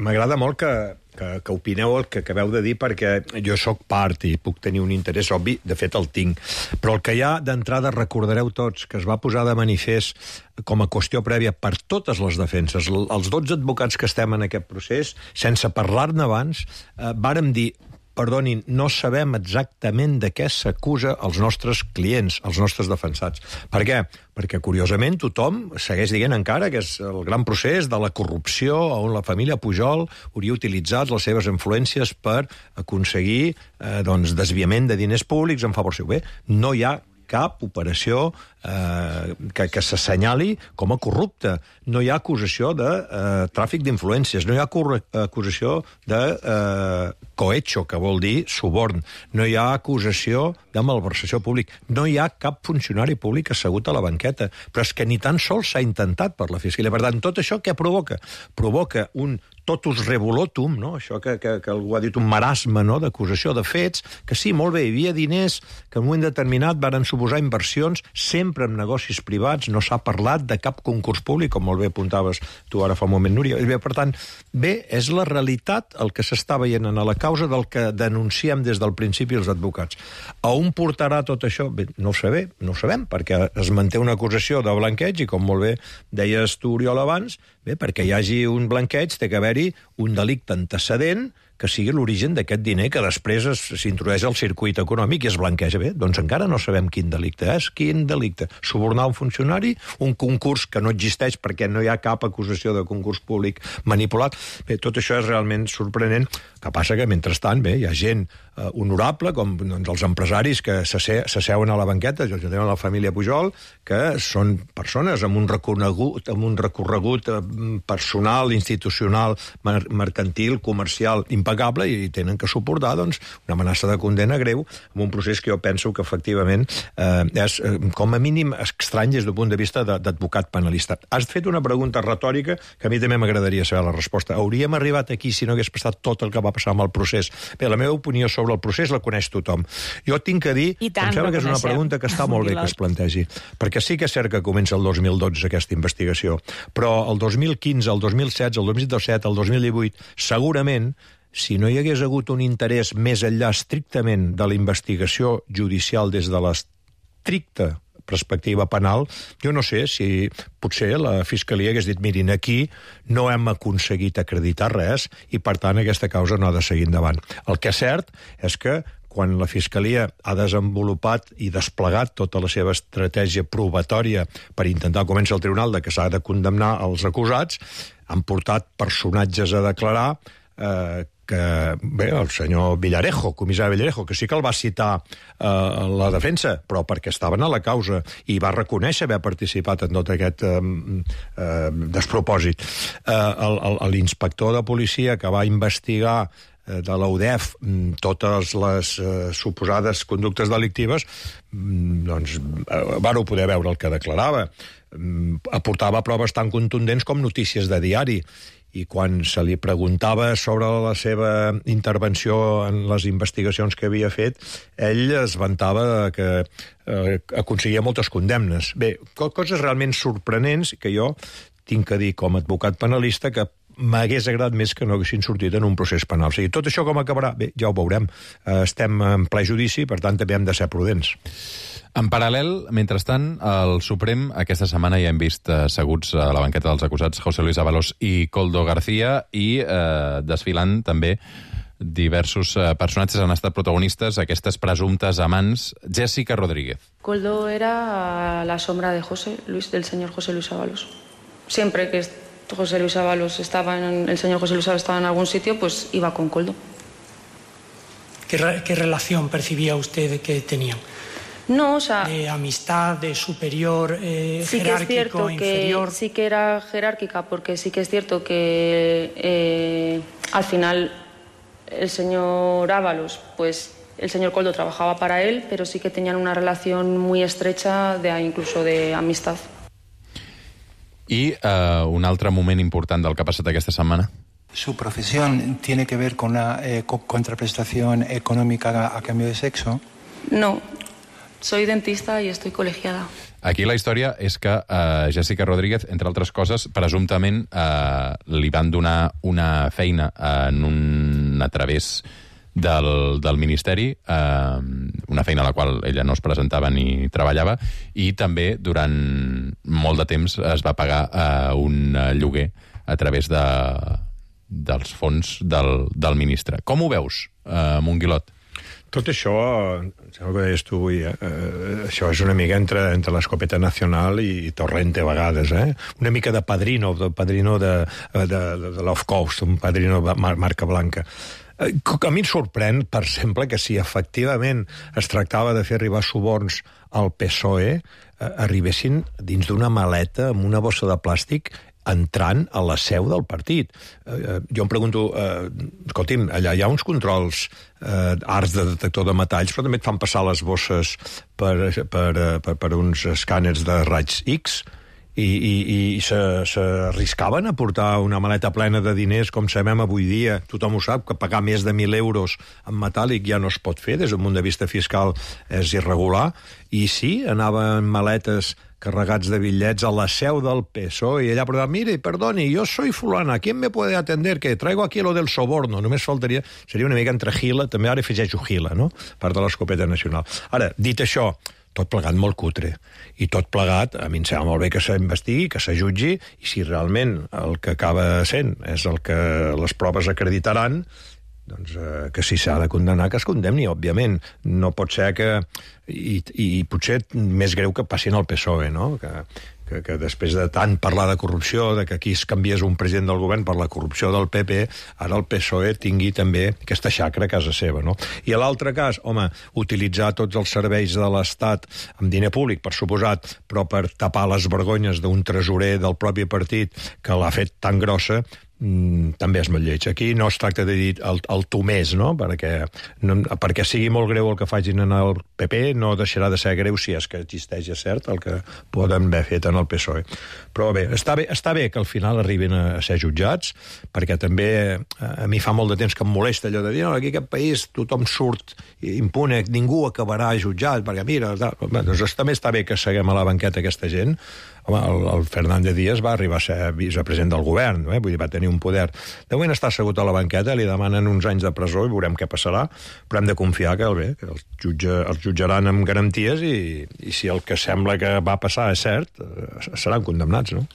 M'agrada molt que opineu el que acabeu de dir, perquè jo sóc part i puc tenir un interès obvi, de fet el tinc, però el que hi ha d'entrada, recordareu tots, que es va posar de manifest com a qüestió prèvia per totes les defenses, els 12 advocats que estem en aquest procés, sense parlar-ne abans, vàrem dir perdonin, no sabem exactament de què s'acusa els nostres clients, els nostres defensats. Per què? Perquè, curiosament, tothom segueix dient encara que és el gran procés de la corrupció on la família Pujol hauria utilitzat les seves influències per aconseguir desviament de diners públics en favor seu. Bé, no hi ha cap operació que s'assenyali com a corrupta. No hi ha acusació de tràfic d'influències, no hi ha acusació de cohecho, que vol dir suborn, no hi ha acusació de malversació públic, no hi ha cap funcionari públic assegut a la banqueta, però és que ni tan sols s'ha intentat per la Fiscalia. Per tant, tot això què provoca? Provoca un totus revolutum, no? Això que algú ha dit, un marasme, no?, d'acusació de fets, que sí, molt bé, hi havia diners que en un moment determinat varen suposar inversions sempre en negocis privats, no s'ha parlat de cap concurs públic, com molt bé apuntaves tu ara fa un moment, Núria. Per tant, bé, és la realitat el que s'està veient en la causa del que denunciem des del principi els advocats. A on portarà tot això? Bé, no ho sabem, perquè es manté una acusació de blanqueig, i com molt bé deies tu, Oriol, abans, bé, perquè hi hagi un blanqueig té que haver-hi un delicte antecedent que sigui l'origen d'aquest diner que després s'introdueix al circuit econòmic i es blanqueja. Bé, doncs encara no sabem quin delicte és. Quin delicte? Subornar un funcionari? Un concurs que no existeix perquè no hi ha cap acusació de concurs públic manipulat? Bé, tot això és realment sorprenent. Que passa que, mentrestant, bé, hi ha gent honorable, com els empresaris que s'asseuen a la banqueta, jo tengo la família Pujol, que són persones amb un recorregut personal, institucional, mercantil, comercial, impecable, i tenen que suportar una amenaça de condemna greu en un procés que jo penso que efectivament és com a mínim estrany des del punt de vista d'advocat penalista. Has fet una pregunta retòrica que a mi també m'agradaria saber la resposta. Hauríem arribat aquí si no hagués passat tot el que va passar amb el procés? Bé, la meva opinió sobre el procés la coneix tothom. Jo tinc que dir, em sembla que és una pregunta que està molt bé que es plantegi, perquè sí que és cert que comença el 2012 aquesta investigació, però el 2015, el 2016, el 2017, el 2018, segurament, si no hi hagués hagut un interès més enllà estrictament de la investigació judicial des de l'estricta perspectiva penal, jo no sé si potser la Fiscalia hagués dit, mirin, aquí no hem aconseguit acreditar res i, per tant, aquesta causa no ha de seguir endavant. El que és cert és que quan la Fiscalia ha desenvolupat i desplegat tota la seva estratègia probatòria per intentar convèncer el tribunal de que s'ha de condemnar els acusats, han portat personatges a declarar que, bé, el senyor Villarejo, comissari Villarejo, que sí que el va citar la defensa, però perquè estaven a la causa i va reconèixer haver participat en tot aquest despropòsit. L'inspector de policia que va investigar de la UDEF totes les suposades conductes delictives, doncs vàreu poder veure el que declarava. Aportava proves tan contundents com notícies de diari, i quan se li preguntava sobre la seva intervenció en les investigacions que havia fet, ell es vantava que aconseguia moltes condemnes. Bé, coses realment sorprenents que jo tinc que dir com a advocat penalista que m'hagués agradat més que no haguessin sortit en un procés penal. O sigui, tot això com acabarà? Bé, ja ho veurem. Estem en ple judici, per tant, també hem de ser prudents. En paral·lel, mentrestant, al Suprem aquesta setmana ja hem vist asseguts a la banqueta dels acusats José Luis Ábalos i Koldo García i desfilant també diversos personatges han estat protagonistes, aquestes presumptes amants. Jessica Rodríguez. Koldo era la sombra de del señor José Luis Ábalos. Siempre que el señor José Luis Ábalos estaba en algún sitio, pues iba con Koldo. ¿Qué relación percibía usted que tenían? No, o sea... ¿De amistad, de superior, sí jerárquico, que es inferior? Sí que era jerárquica, porque sí que es cierto que al final el señor Ábalos, pues el señor Koldo trabajaba para él, pero sí que tenían una relación muy estrecha, incluso de amistad. I un altre moment important del que ha passat aquesta setmana. ¿Su profesión tiene que ver con una contraprestación económica a cambio de sexo? No. Soy dentista y estoy colegiada. Aquí la història és que Jessica Rodríguez, entre altres coses, presumptament li van donar una feina a través del Ministeri, una feina a la qual ella no es presentava ni treballava, i també durant molt de temps es va pagar un lloguer a través dels fons del ministre. Com ho veus, Monguilot. Tot això, sembla que deies tu avui, això és una mica entre l'Escopeta Nacional i Torrente a vegades, una mica de padrino de l'Off Coast, un padrino marca blanca. A mi em sorprèn, per exemple, que si efectivament es tractava de fer arribar suborns al PSOE, arribessin dins d'una maleta amb una bossa de plàstic entrant a la seu del partit. Jo em pregunto, escolti'm, allà hi ha uns controls arts de detector de metalls, però també et fan passar les bosses per uns escàners de raigs X i s'arriscaven a portar una maleta plena de diners, com sabem avui dia, tothom ho sap, que pagar més de 1.000 euros en metàl·lic ja no es pot fer, des d'un punt de vista fiscal és irregular, i sí, anaven maletes carregats de bitllets a la seu del PSOE, i allà preguntaven, mire, perdoni, yo soy fulana, ¿quién me puede atender? Que traigo aquí lo del soborno, només faltaria, seria una mica entre Gila, també ara afegeixo Gila, no?, part de l'Escopeta Nacional. Ara, dit això, tot plegat molt cutre, i tot plegat, a mi em sembla molt bé que s'investigui, que s'ajutgi, i si realment el que acaba sent és el que les proves acreditaran, doncs que si s'ha de condemnar, que es condemni, òbviament. No pot ser que... I potser més greu que passin al PSOE, no?, que després de tant parlar de corrupció, de que aquí es canviés un president del govern per la corrupció del PP, ara el PSOE tingui també aquesta xacra a casa seva, no? I a l'altre cas, home, utilitzar tots els serveis de l'Estat amb diner públic, per suposat, però per tapar les vergonyes d'un tresorer del propi partit que l'ha fet tan grossa, també és molt lleig. Aquí no es tracta de dir el tu més, no? Perquè sigui molt greu el que facin en el PP, no deixarà de ser greu si és que existeix, és cert, el que poden haver fet en el PSOE. Però bé, està bé que al final arribin a ser jutjats, perquè també a mi fa molt de temps que em molesta allò de dir, no, aquí aquest país tothom surt impune, ningú acabarà jutjat, perquè mira, doncs també està bé que seguem a la banqueta aquesta gent. Home, el Fernández Díaz va arribar a ser vicepresident del govern, vull dir, va tenir un poder. De moment està assegut a la banqueta, li demanen uns anys de presó i veurem què passarà, però hem de confiar que els jutjaran amb garanties i si el que sembla que va passar és cert, seran condemnats, no?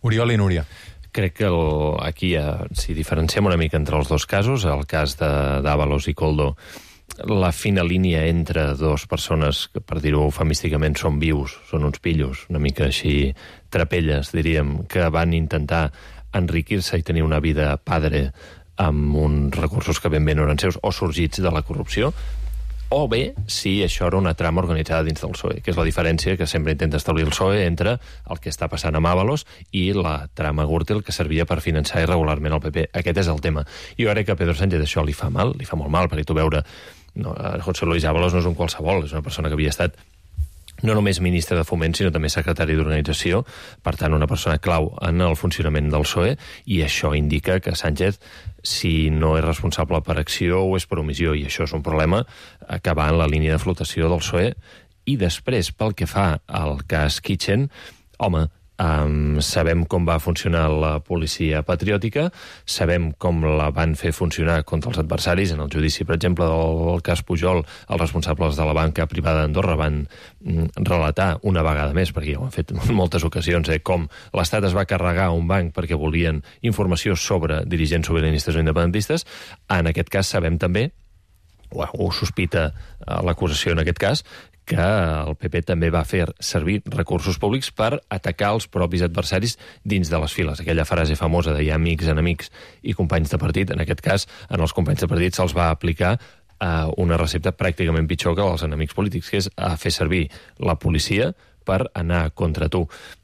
Oriol i Núria. Crec que aquí, si diferenciem una mica entre els dos casos, el cas d'Ábalos i Koldo, la fina línia entre dues persones que, per dir-ho eufemísticament, són vius, són uns pillos, una mica així trapelles, diríem, que van intentar enriquir-se i tenir una vida padre amb uns recursos que ben bé no eren seus o sorgits de la corrupció, o bé si això era una trama organitzada dins del PSOE, que és la diferència que sempre intenta establir el PSOE entre el que està passant amb Ábalos i la trama Gürtel que servia per finançar irregularment el PP. Aquest és el tema. Jo crec que a Pedro Sánchez això li fa mal, li fa molt mal, perquè tu veure... No, José Luis Ábalos no és un qualsevol, és una persona que havia estat no només ministre de Foment, sinó també secretari d'Organització, per tant, una persona clau en el funcionament del PSOE, i això indica que Sánchez, si no és responsable per acció o és per omissió, i això és un problema que va en la línia de flotació del PSOE. I després, pel que fa al cas Kitchen, home, sabem com va funcionar la policia patriòtica, sabem com la van fer funcionar contra els adversaris. En el judici, per exemple, del cas Pujol, els responsables de la banca privada d'Andorra van relatar una vegada més, perquè ja ho han fet en moltes ocasions, com l'Estat es va carregar un banc perquè volien informació sobre dirigents sobiranistes o independentistes. En aquest cas sabem també, o sospita l'acusació en aquest cas, que el PP també va fer servir recursos públics per atacar els propis adversaris dins de les files. Aquella frase famosa de hi ha amics, enemics i companys de partit. En aquest cas, en els companys de partit se'ls va aplicar una recepta pràcticament pitjor que als enemics polítics, que és fer servir la policia per anar contra tu.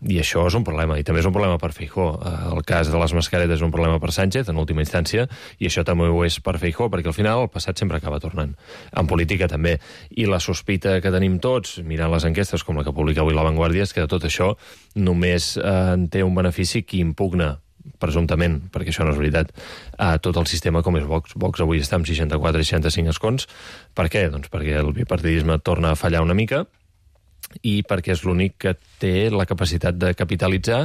I això és un problema, i també és un problema per Feijóo. El cas de les mascaretes és un problema per Sánchez, en última instància, i això també ho és per Feijóo, perquè al final el passat sempre acaba tornant. En política també. I la sospita que tenim tots, mirant les enquestes com la que publica avui La Vanguardia, és que de tot això només en té un benefici qui impugna presumptament, perquè això no és veritat, a tot el sistema com és Vox. Vox avui està amb 64-65 escons. Per què? Doncs perquè el bipartidisme torna a fallar una mica, i perquè és l'únic que té la capacitat de capitalitzar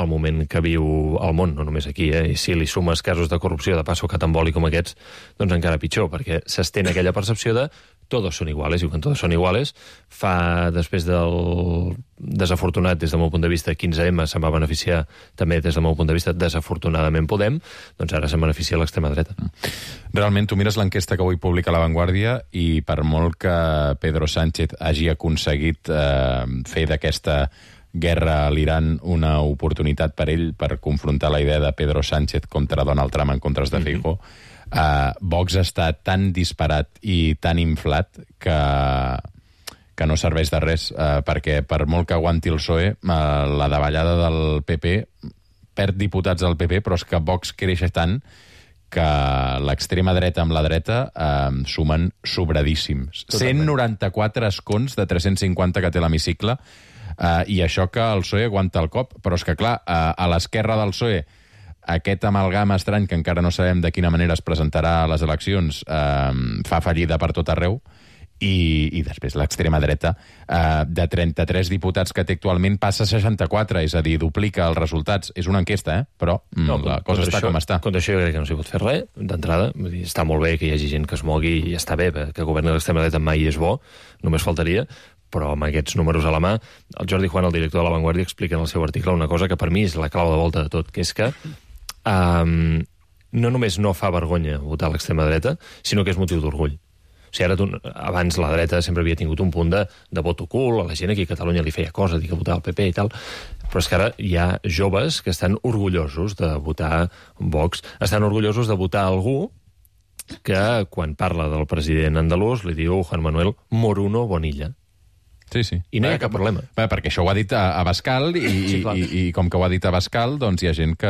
el moment que viu el món, no només aquí, I si li sumes casos de corrupció de passo catamboli com aquests, doncs encara pitjor, perquè s'estén aquella percepció de todos son iguales, i quan todos son iguales, després del desafortunat des del meu punt de vista 15M se'n va beneficiar també des del meu punt de vista desafortunadament Podem, doncs ara se'n beneficia l'extrema dreta. Realment, tu mires l'enquesta que avui publica La Vanguardia i per molt que Pedro Sánchez hagi aconseguit fer d'aquesta guerra a l'Iran una oportunitat per ell per confrontar la idea de Pedro Sánchez contra Donald Trump en contra de Feijóo, Vox està tan disparat i tan inflat que no serveix de res, perquè per molt que aguanti el PSOE, la davallada del PP perd diputats del PP, però és que Vox creix tant que l'extrema dreta amb la dreta sumen sobradíssims. Totalment. 194 escons de 350 que té l'hemicicle, i això que el PSOE aguanta el cop, però és que, clar, a l'esquerra del PSOE, aquest amalgama estrany que encara no sabem de quina manera es presentarà a les eleccions fa fallida per tot arreu, i després l'extrema dreta de 33 diputats que té actualment passa a 64, és a dir, duplica els resultats. És una enquesta, però la cosa està com està. Contra això jo crec que no s'hi pot fer res, d'entrada. Està molt bé que hi hagi gent que es mogui i està bé, que governi l'extrema dreta mai és bo, només faltaria, però amb aquests números a la mà, el Jordi Juan, el director de La Vanguardia, explica en el seu article una cosa que per mi és la clau de volta de tot, que és que no només no fa vergonya votar a l'extrema dreta, sinó que és motiu d'orgull. O sigui, abans la dreta sempre havia tingut un punt de vot ocult, a la gent aquí a Catalunya li feia cosa, dir que votava el PP i tal, però és que ara hi ha joves que estan orgullosos de votar Vox, estan orgullosos de votar algú que, quan parla del president andalús, li diu Juan Manuel Moruno Bonilla. Sí, sí. I no hi ha cap problema. Perquè això ho ha dit a Abascal i com que ho ha dit a Abascal, doncs hi ha gent que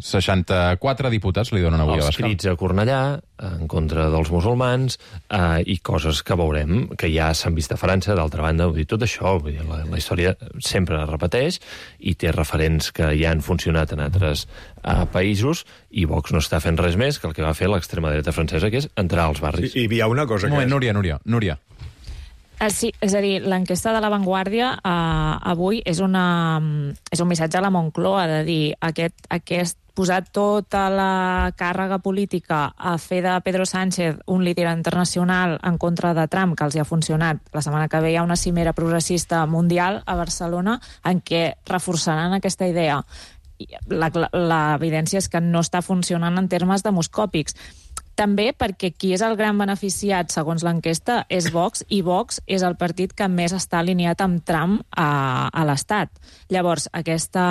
64 diputats li donen avui a Abascal. Els crits a Cornellà en contra dels musulmans i coses que veurem que ja s'han vist a França, d'altra banda, vull dir, tot això, vull dir, la història sempre es repeteix i té referents que ja han funcionat en altres països i Vox no està fent res més que el que va fer l'extrema dreta francesa, que és entrar als barris. I hi ha una cosa que... Núria. Sí, és a dir, l'enquesta de La Vanguardia avui és un missatge a la Moncloa de dir aquest posar tota la càrrega política a fer de Pedro Sánchez un líder internacional en contra de Trump, que els hi ha funcionat. La setmana que ve hi ha una cimera progressista mundial a Barcelona en què reforçaran aquesta idea. L'evidència és que no està funcionant en termes demoscòpics. També perquè qui és el gran beneficiat, segons l'enquesta, és Vox, i Vox és el partit que més està alineat amb Trump a l'Estat. Llavors, aquesta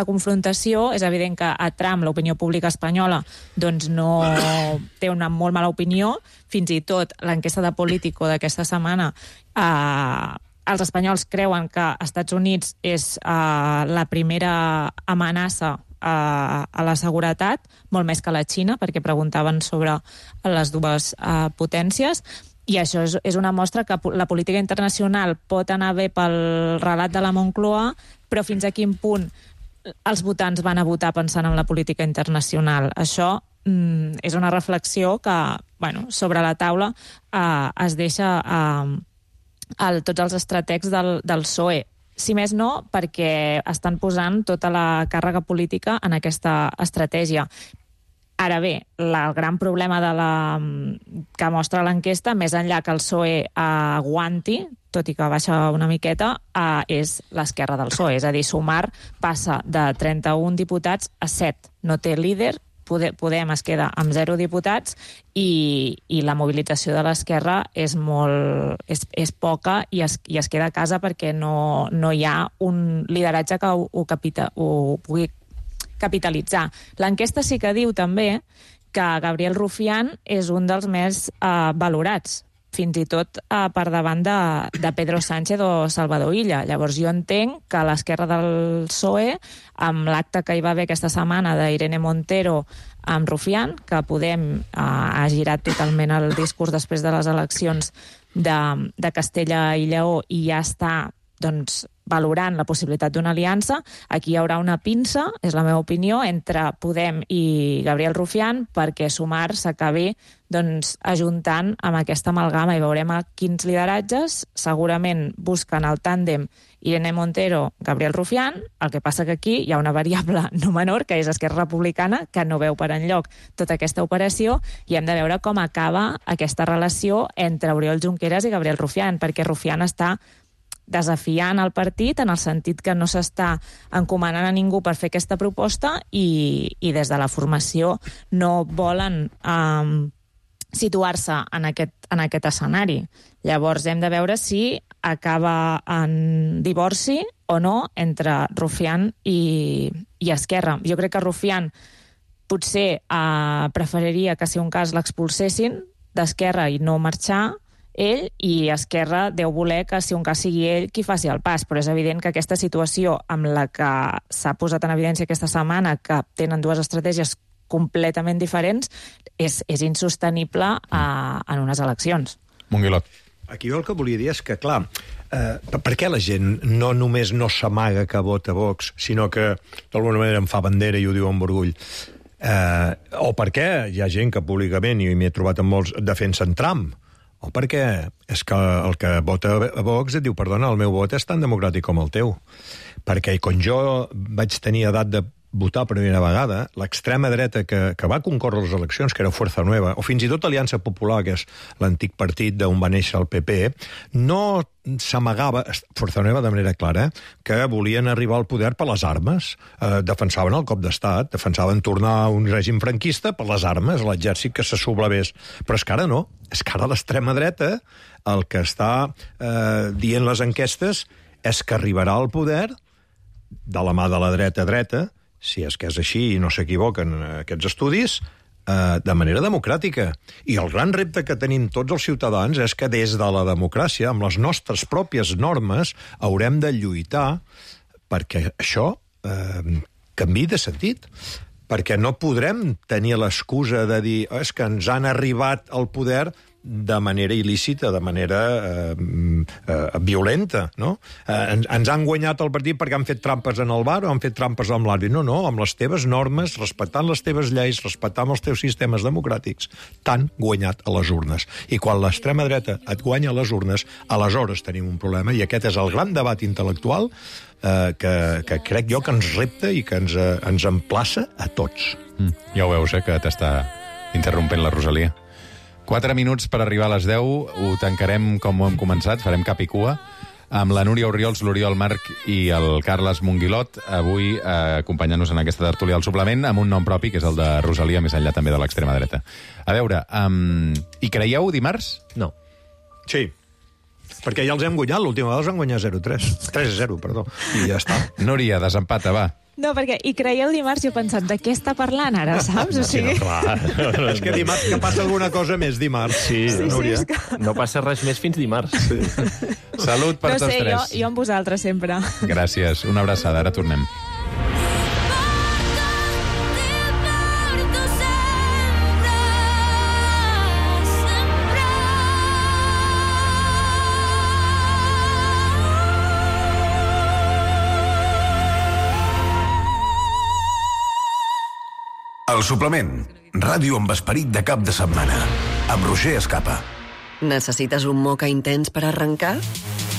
confrontació, és evident que a Trump l'opinió pública espanyola doncs no té una molt mala opinió, fins i tot l'enquesta de Politico d'aquesta setmana els espanyols creuen que Estats Units és la primera amenaça a la seguretat, molt més que la Xina, perquè preguntaven sobre les dues potències, i això és una mostra que la política internacional pot anar bé pel relat de la Moncloa, però fins a quin punt els votants van a votar pensant en la política internacional. Això és una reflexió que, sobre la taula es deixa tots els estrategs del PSOE. Si més no, perquè estan posant tota la càrrega política en aquesta estratègia. Ara bé, el gran problema que mostra l'enquesta, més enllà que el PSOE aguanti, tot i que baixa una miqueta, és l'esquerra del PSOE. És a dir, Sumar passa de 31 diputats a 7. No té líder, Podem es queda amb 0 diputats i la mobilització de l'esquerra és poca i es queda a casa perquè no hi ha un lideratge que ho pugui capitalitzar. L'enquesta sí que diu també que Gabriel Rufián és un dels més valorats, fins i tot per davant de Pedro Sánchez o Salvador Illa. Llavors jo entenc que l'esquerra del PSOE, amb l'acte que hi va haver aquesta setmana d'Irene Montero amb Rufián, que Podem ha girat totalment el discurs després de les eleccions de Castella i Lleó i ja està valorant la possibilitat d'una aliança. Aquí hi haurà una pinça, és la meva opinió, entre Podem i Gabriel Rufián perquè Sumar s'acabi ajuntant amb aquesta amalgama i veurem a quins lideratges. Segurament busquen el tàndem Irene Montero, Gabriel Rufián. El que passa que aquí hi ha una variable no menor, que és Esquerra Republicana, que no veu per enlloc tota aquesta operació, i hem de veure com acaba aquesta relació entre Oriol Junqueras i Gabriel Rufián, perquè Rufián està desafiant el partit en el sentit que no s'està encomanant a ningú per fer aquesta proposta i des de la formació no volen situar-se en aquest escenari. Llavors hem de veure si acaba en divorci o no entre Rufián i Esquerra. Jo crec que Rufián potser preferiria que, si un cas, l'expulsessin d'Esquerra i no marxar ell, i Esquerra deu voler que, si un cas, sigui ell qui faci el pas. Però és evident que aquesta situació amb la que s'ha posat en evidència aquesta setmana, que tenen dues estratègies completament diferents, és insostenible en unes eleccions. Monguilot. Aquí jo el que volia dir és que, clar, per què la gent no només no s'amaga que vota Vox, sinó que d'alguna manera en fa bandera i ho diu amb orgull? O per què hi ha gent que públicament, i m'hi he trobat amb molts, defensen Trump? O perquè és que el que vota a Vox et diu, perdona, el meu vot és tan democràtic com el teu. Perquè quan jo vaig tenir edat de votar per primera vegada, l'extrema dreta que va concórrer les eleccions, que era Fuerza Nueva, o fins i tot Aliança Popular, que és l'antic partit d'on va néixer el PP, no s'amagava, Fuerza Nueva de manera clara, que volien arribar al poder per les armes. Defensaven el cop d'estat, defensaven tornar a un règim franquista per les armes, l'exèrcit que se sublevés. Però és que ara no, és que ara l'extrema dreta el que està dient les enquestes és que arribarà al poder de la mà de la dreta, si és que és així i no s'equivoquen aquests estudis, de manera democràtica. I el gran repte que tenim tots els ciutadans és que des de la democràcia, amb les nostres pròpies normes, haurem de lluitar perquè això canviï de sentit. Perquè no podrem tenir l'excusa de dir és que ens han arribat al poder de manera il·lícita, de manera violenta, no? Ens han guanyat el partit perquè han fet trampes en el bar o han fet trampes amb l'àrbitre. No, amb les teves normes, respectant les teves lleis, respectant els teus sistemes democràtics, t'han guanyat a les urnes. I quan l'extrema dreta et guanya a les urnes, aleshores tenim un problema, i aquest és el gran debat intel·lectual que crec jo que ens repta i que ens emplaça a tots. Ja ho veus, que t'està interrompent la Rosalia. 4 minuts per arribar a les 10, ho tancarem com ho hem començat, farem cap i cua, amb la Núria Orriols, l'Oriol Marc i el Carles Monguilot, avui acompanyant-nos en aquesta tertúlia al suplement, amb un nom propi, que és el de Rosalia, més enllà també de l'extrema dreta. A veure, hi creieu dimarts? No. Sí. Perquè ja els hem guanyat, l'última vegada els van guanyar 3-0, perdó, i ja està. Núria, desempata, va. No, perquè hi creieu dimarts i he pensat, de què està parlant ara, saps? O sigui... Sí, no, clar. És que dimarts que passa alguna cosa més dimarts. Sí, Núria. Sí, no passa res més fins dimarts. Sí. Salut per tots tres. No sé, jo amb vosaltres sempre. Gràcies, una abraçada, ara tornem. El suplement. Ràdio amb esperit de cap de setmana. Amb Roger Escapa. Necessites un moca intens per arrencar?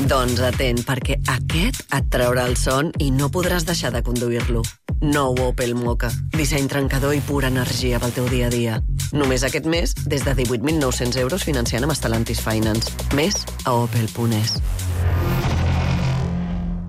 Doncs atent, perquè aquest et traurà el son i no podràs deixar de conduir-lo. Nou Opel Moka. Disseny trencador i pura energia pel teu dia a dia. Només aquest mes, des de 18.900 euros financiant amb Stellantis Finance. Més a opel.es.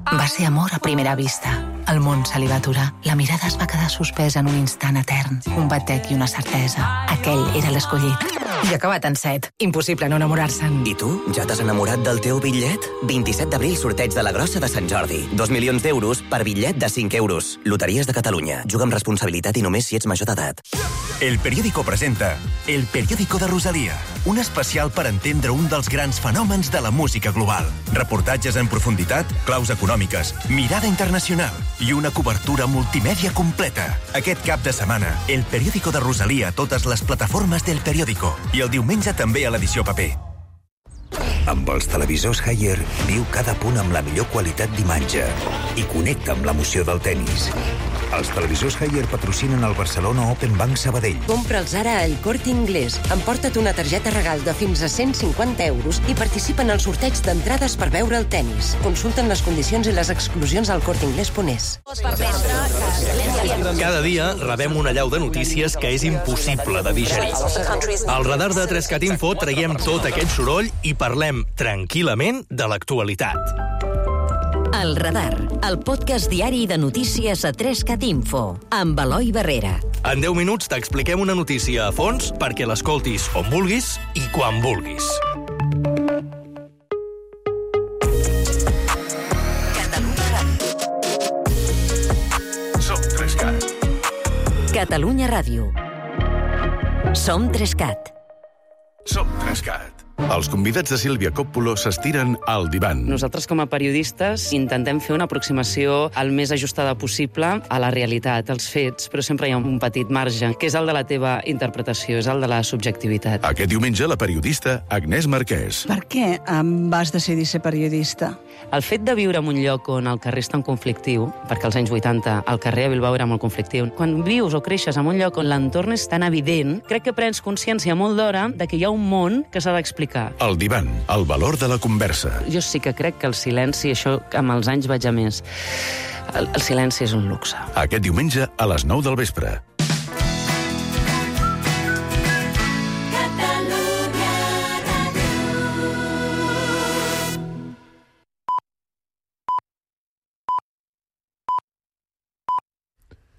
Va ser amor a primera vista. El món se li va aturar. La mirada es va quedar suspesa en un instant etern. Un batec i una certesa. Aquell era l'escollit. I acabat en 7. Impossible no enamorar-se'n. I tu? Ja t'has enamorat del teu bitllet? 27 d'abril, sorteig de la Grossa de Sant Jordi. 2 milions d'euros per bitllet de 5 euros. Loteries de Catalunya. Juga amb responsabilitat i només si ets major d'edat. El Periódico presenta El Periódico de Rosalía, un especial per entendre un dels grans fenòmens de la música global. Reportatges en profunditat, claus econòmiques, mirada internacional i una cobertura multimèdia completa. Aquest cap de setmana, El Periódico de Rosalía a totes les plataformes del Periódico i el diumenge també a l'edició paper. Amb els televisors Haier, viu cada punt amb la millor qualitat d'imatge i connecta amb l'emoció del tennis. Els televisors Haier patrocinen el Barcelona Open Bank Sabadell. Compra'ls ara al Corte Inglés. Emporta't una targeta regal de fins a 150 euros i participa en el sorteig d'entrades per veure el tennis. Consulten les condicions i les exclusions al corteinglés.es. Cada dia rebem una allau de notícies que és impossible de digerir. Al radar de 3CAT Info traiem tot aquest soroll i parlem tranquil·lament de l'actualitat. El Radar, el podcast diari de notícies a 3CAT Info, amb Eloi Barrera. En 10 minuts t'expliquem una notícia a fons perquè l'escoltis on vulguis i quan vulguis. Som 3CAT. Catalunya Ràdio. Som 3CAT. Som 3CAT. Els convidats de Sílvia Coppolo s'estiren al divan. Nosaltres, com a periodistes, intentem fer una aproximació el més ajustada possible a la realitat, als fets, però sempre hi ha un petit marge, que és el de la teva interpretació, és el de la subjectivitat. Aquest diumenge, la periodista Agnès Marquès. Per què vas decidir ser periodista? El fet de viure en un lloc on el carrer és tan conflictiu, perquè als anys 80 el carrer a Bilbao era molt conflictiu, quan vius o creixes en un lloc on l'entorn és tan evident, crec que prens consciència molt d'hora de que hi ha un món que s'ha d'explicar. El divan, el valor de la conversa. Jo sí que crec que el silenci, això amb els anys vaig a més, el silenci és un luxe. Aquest diumenge a les 9 del vespre.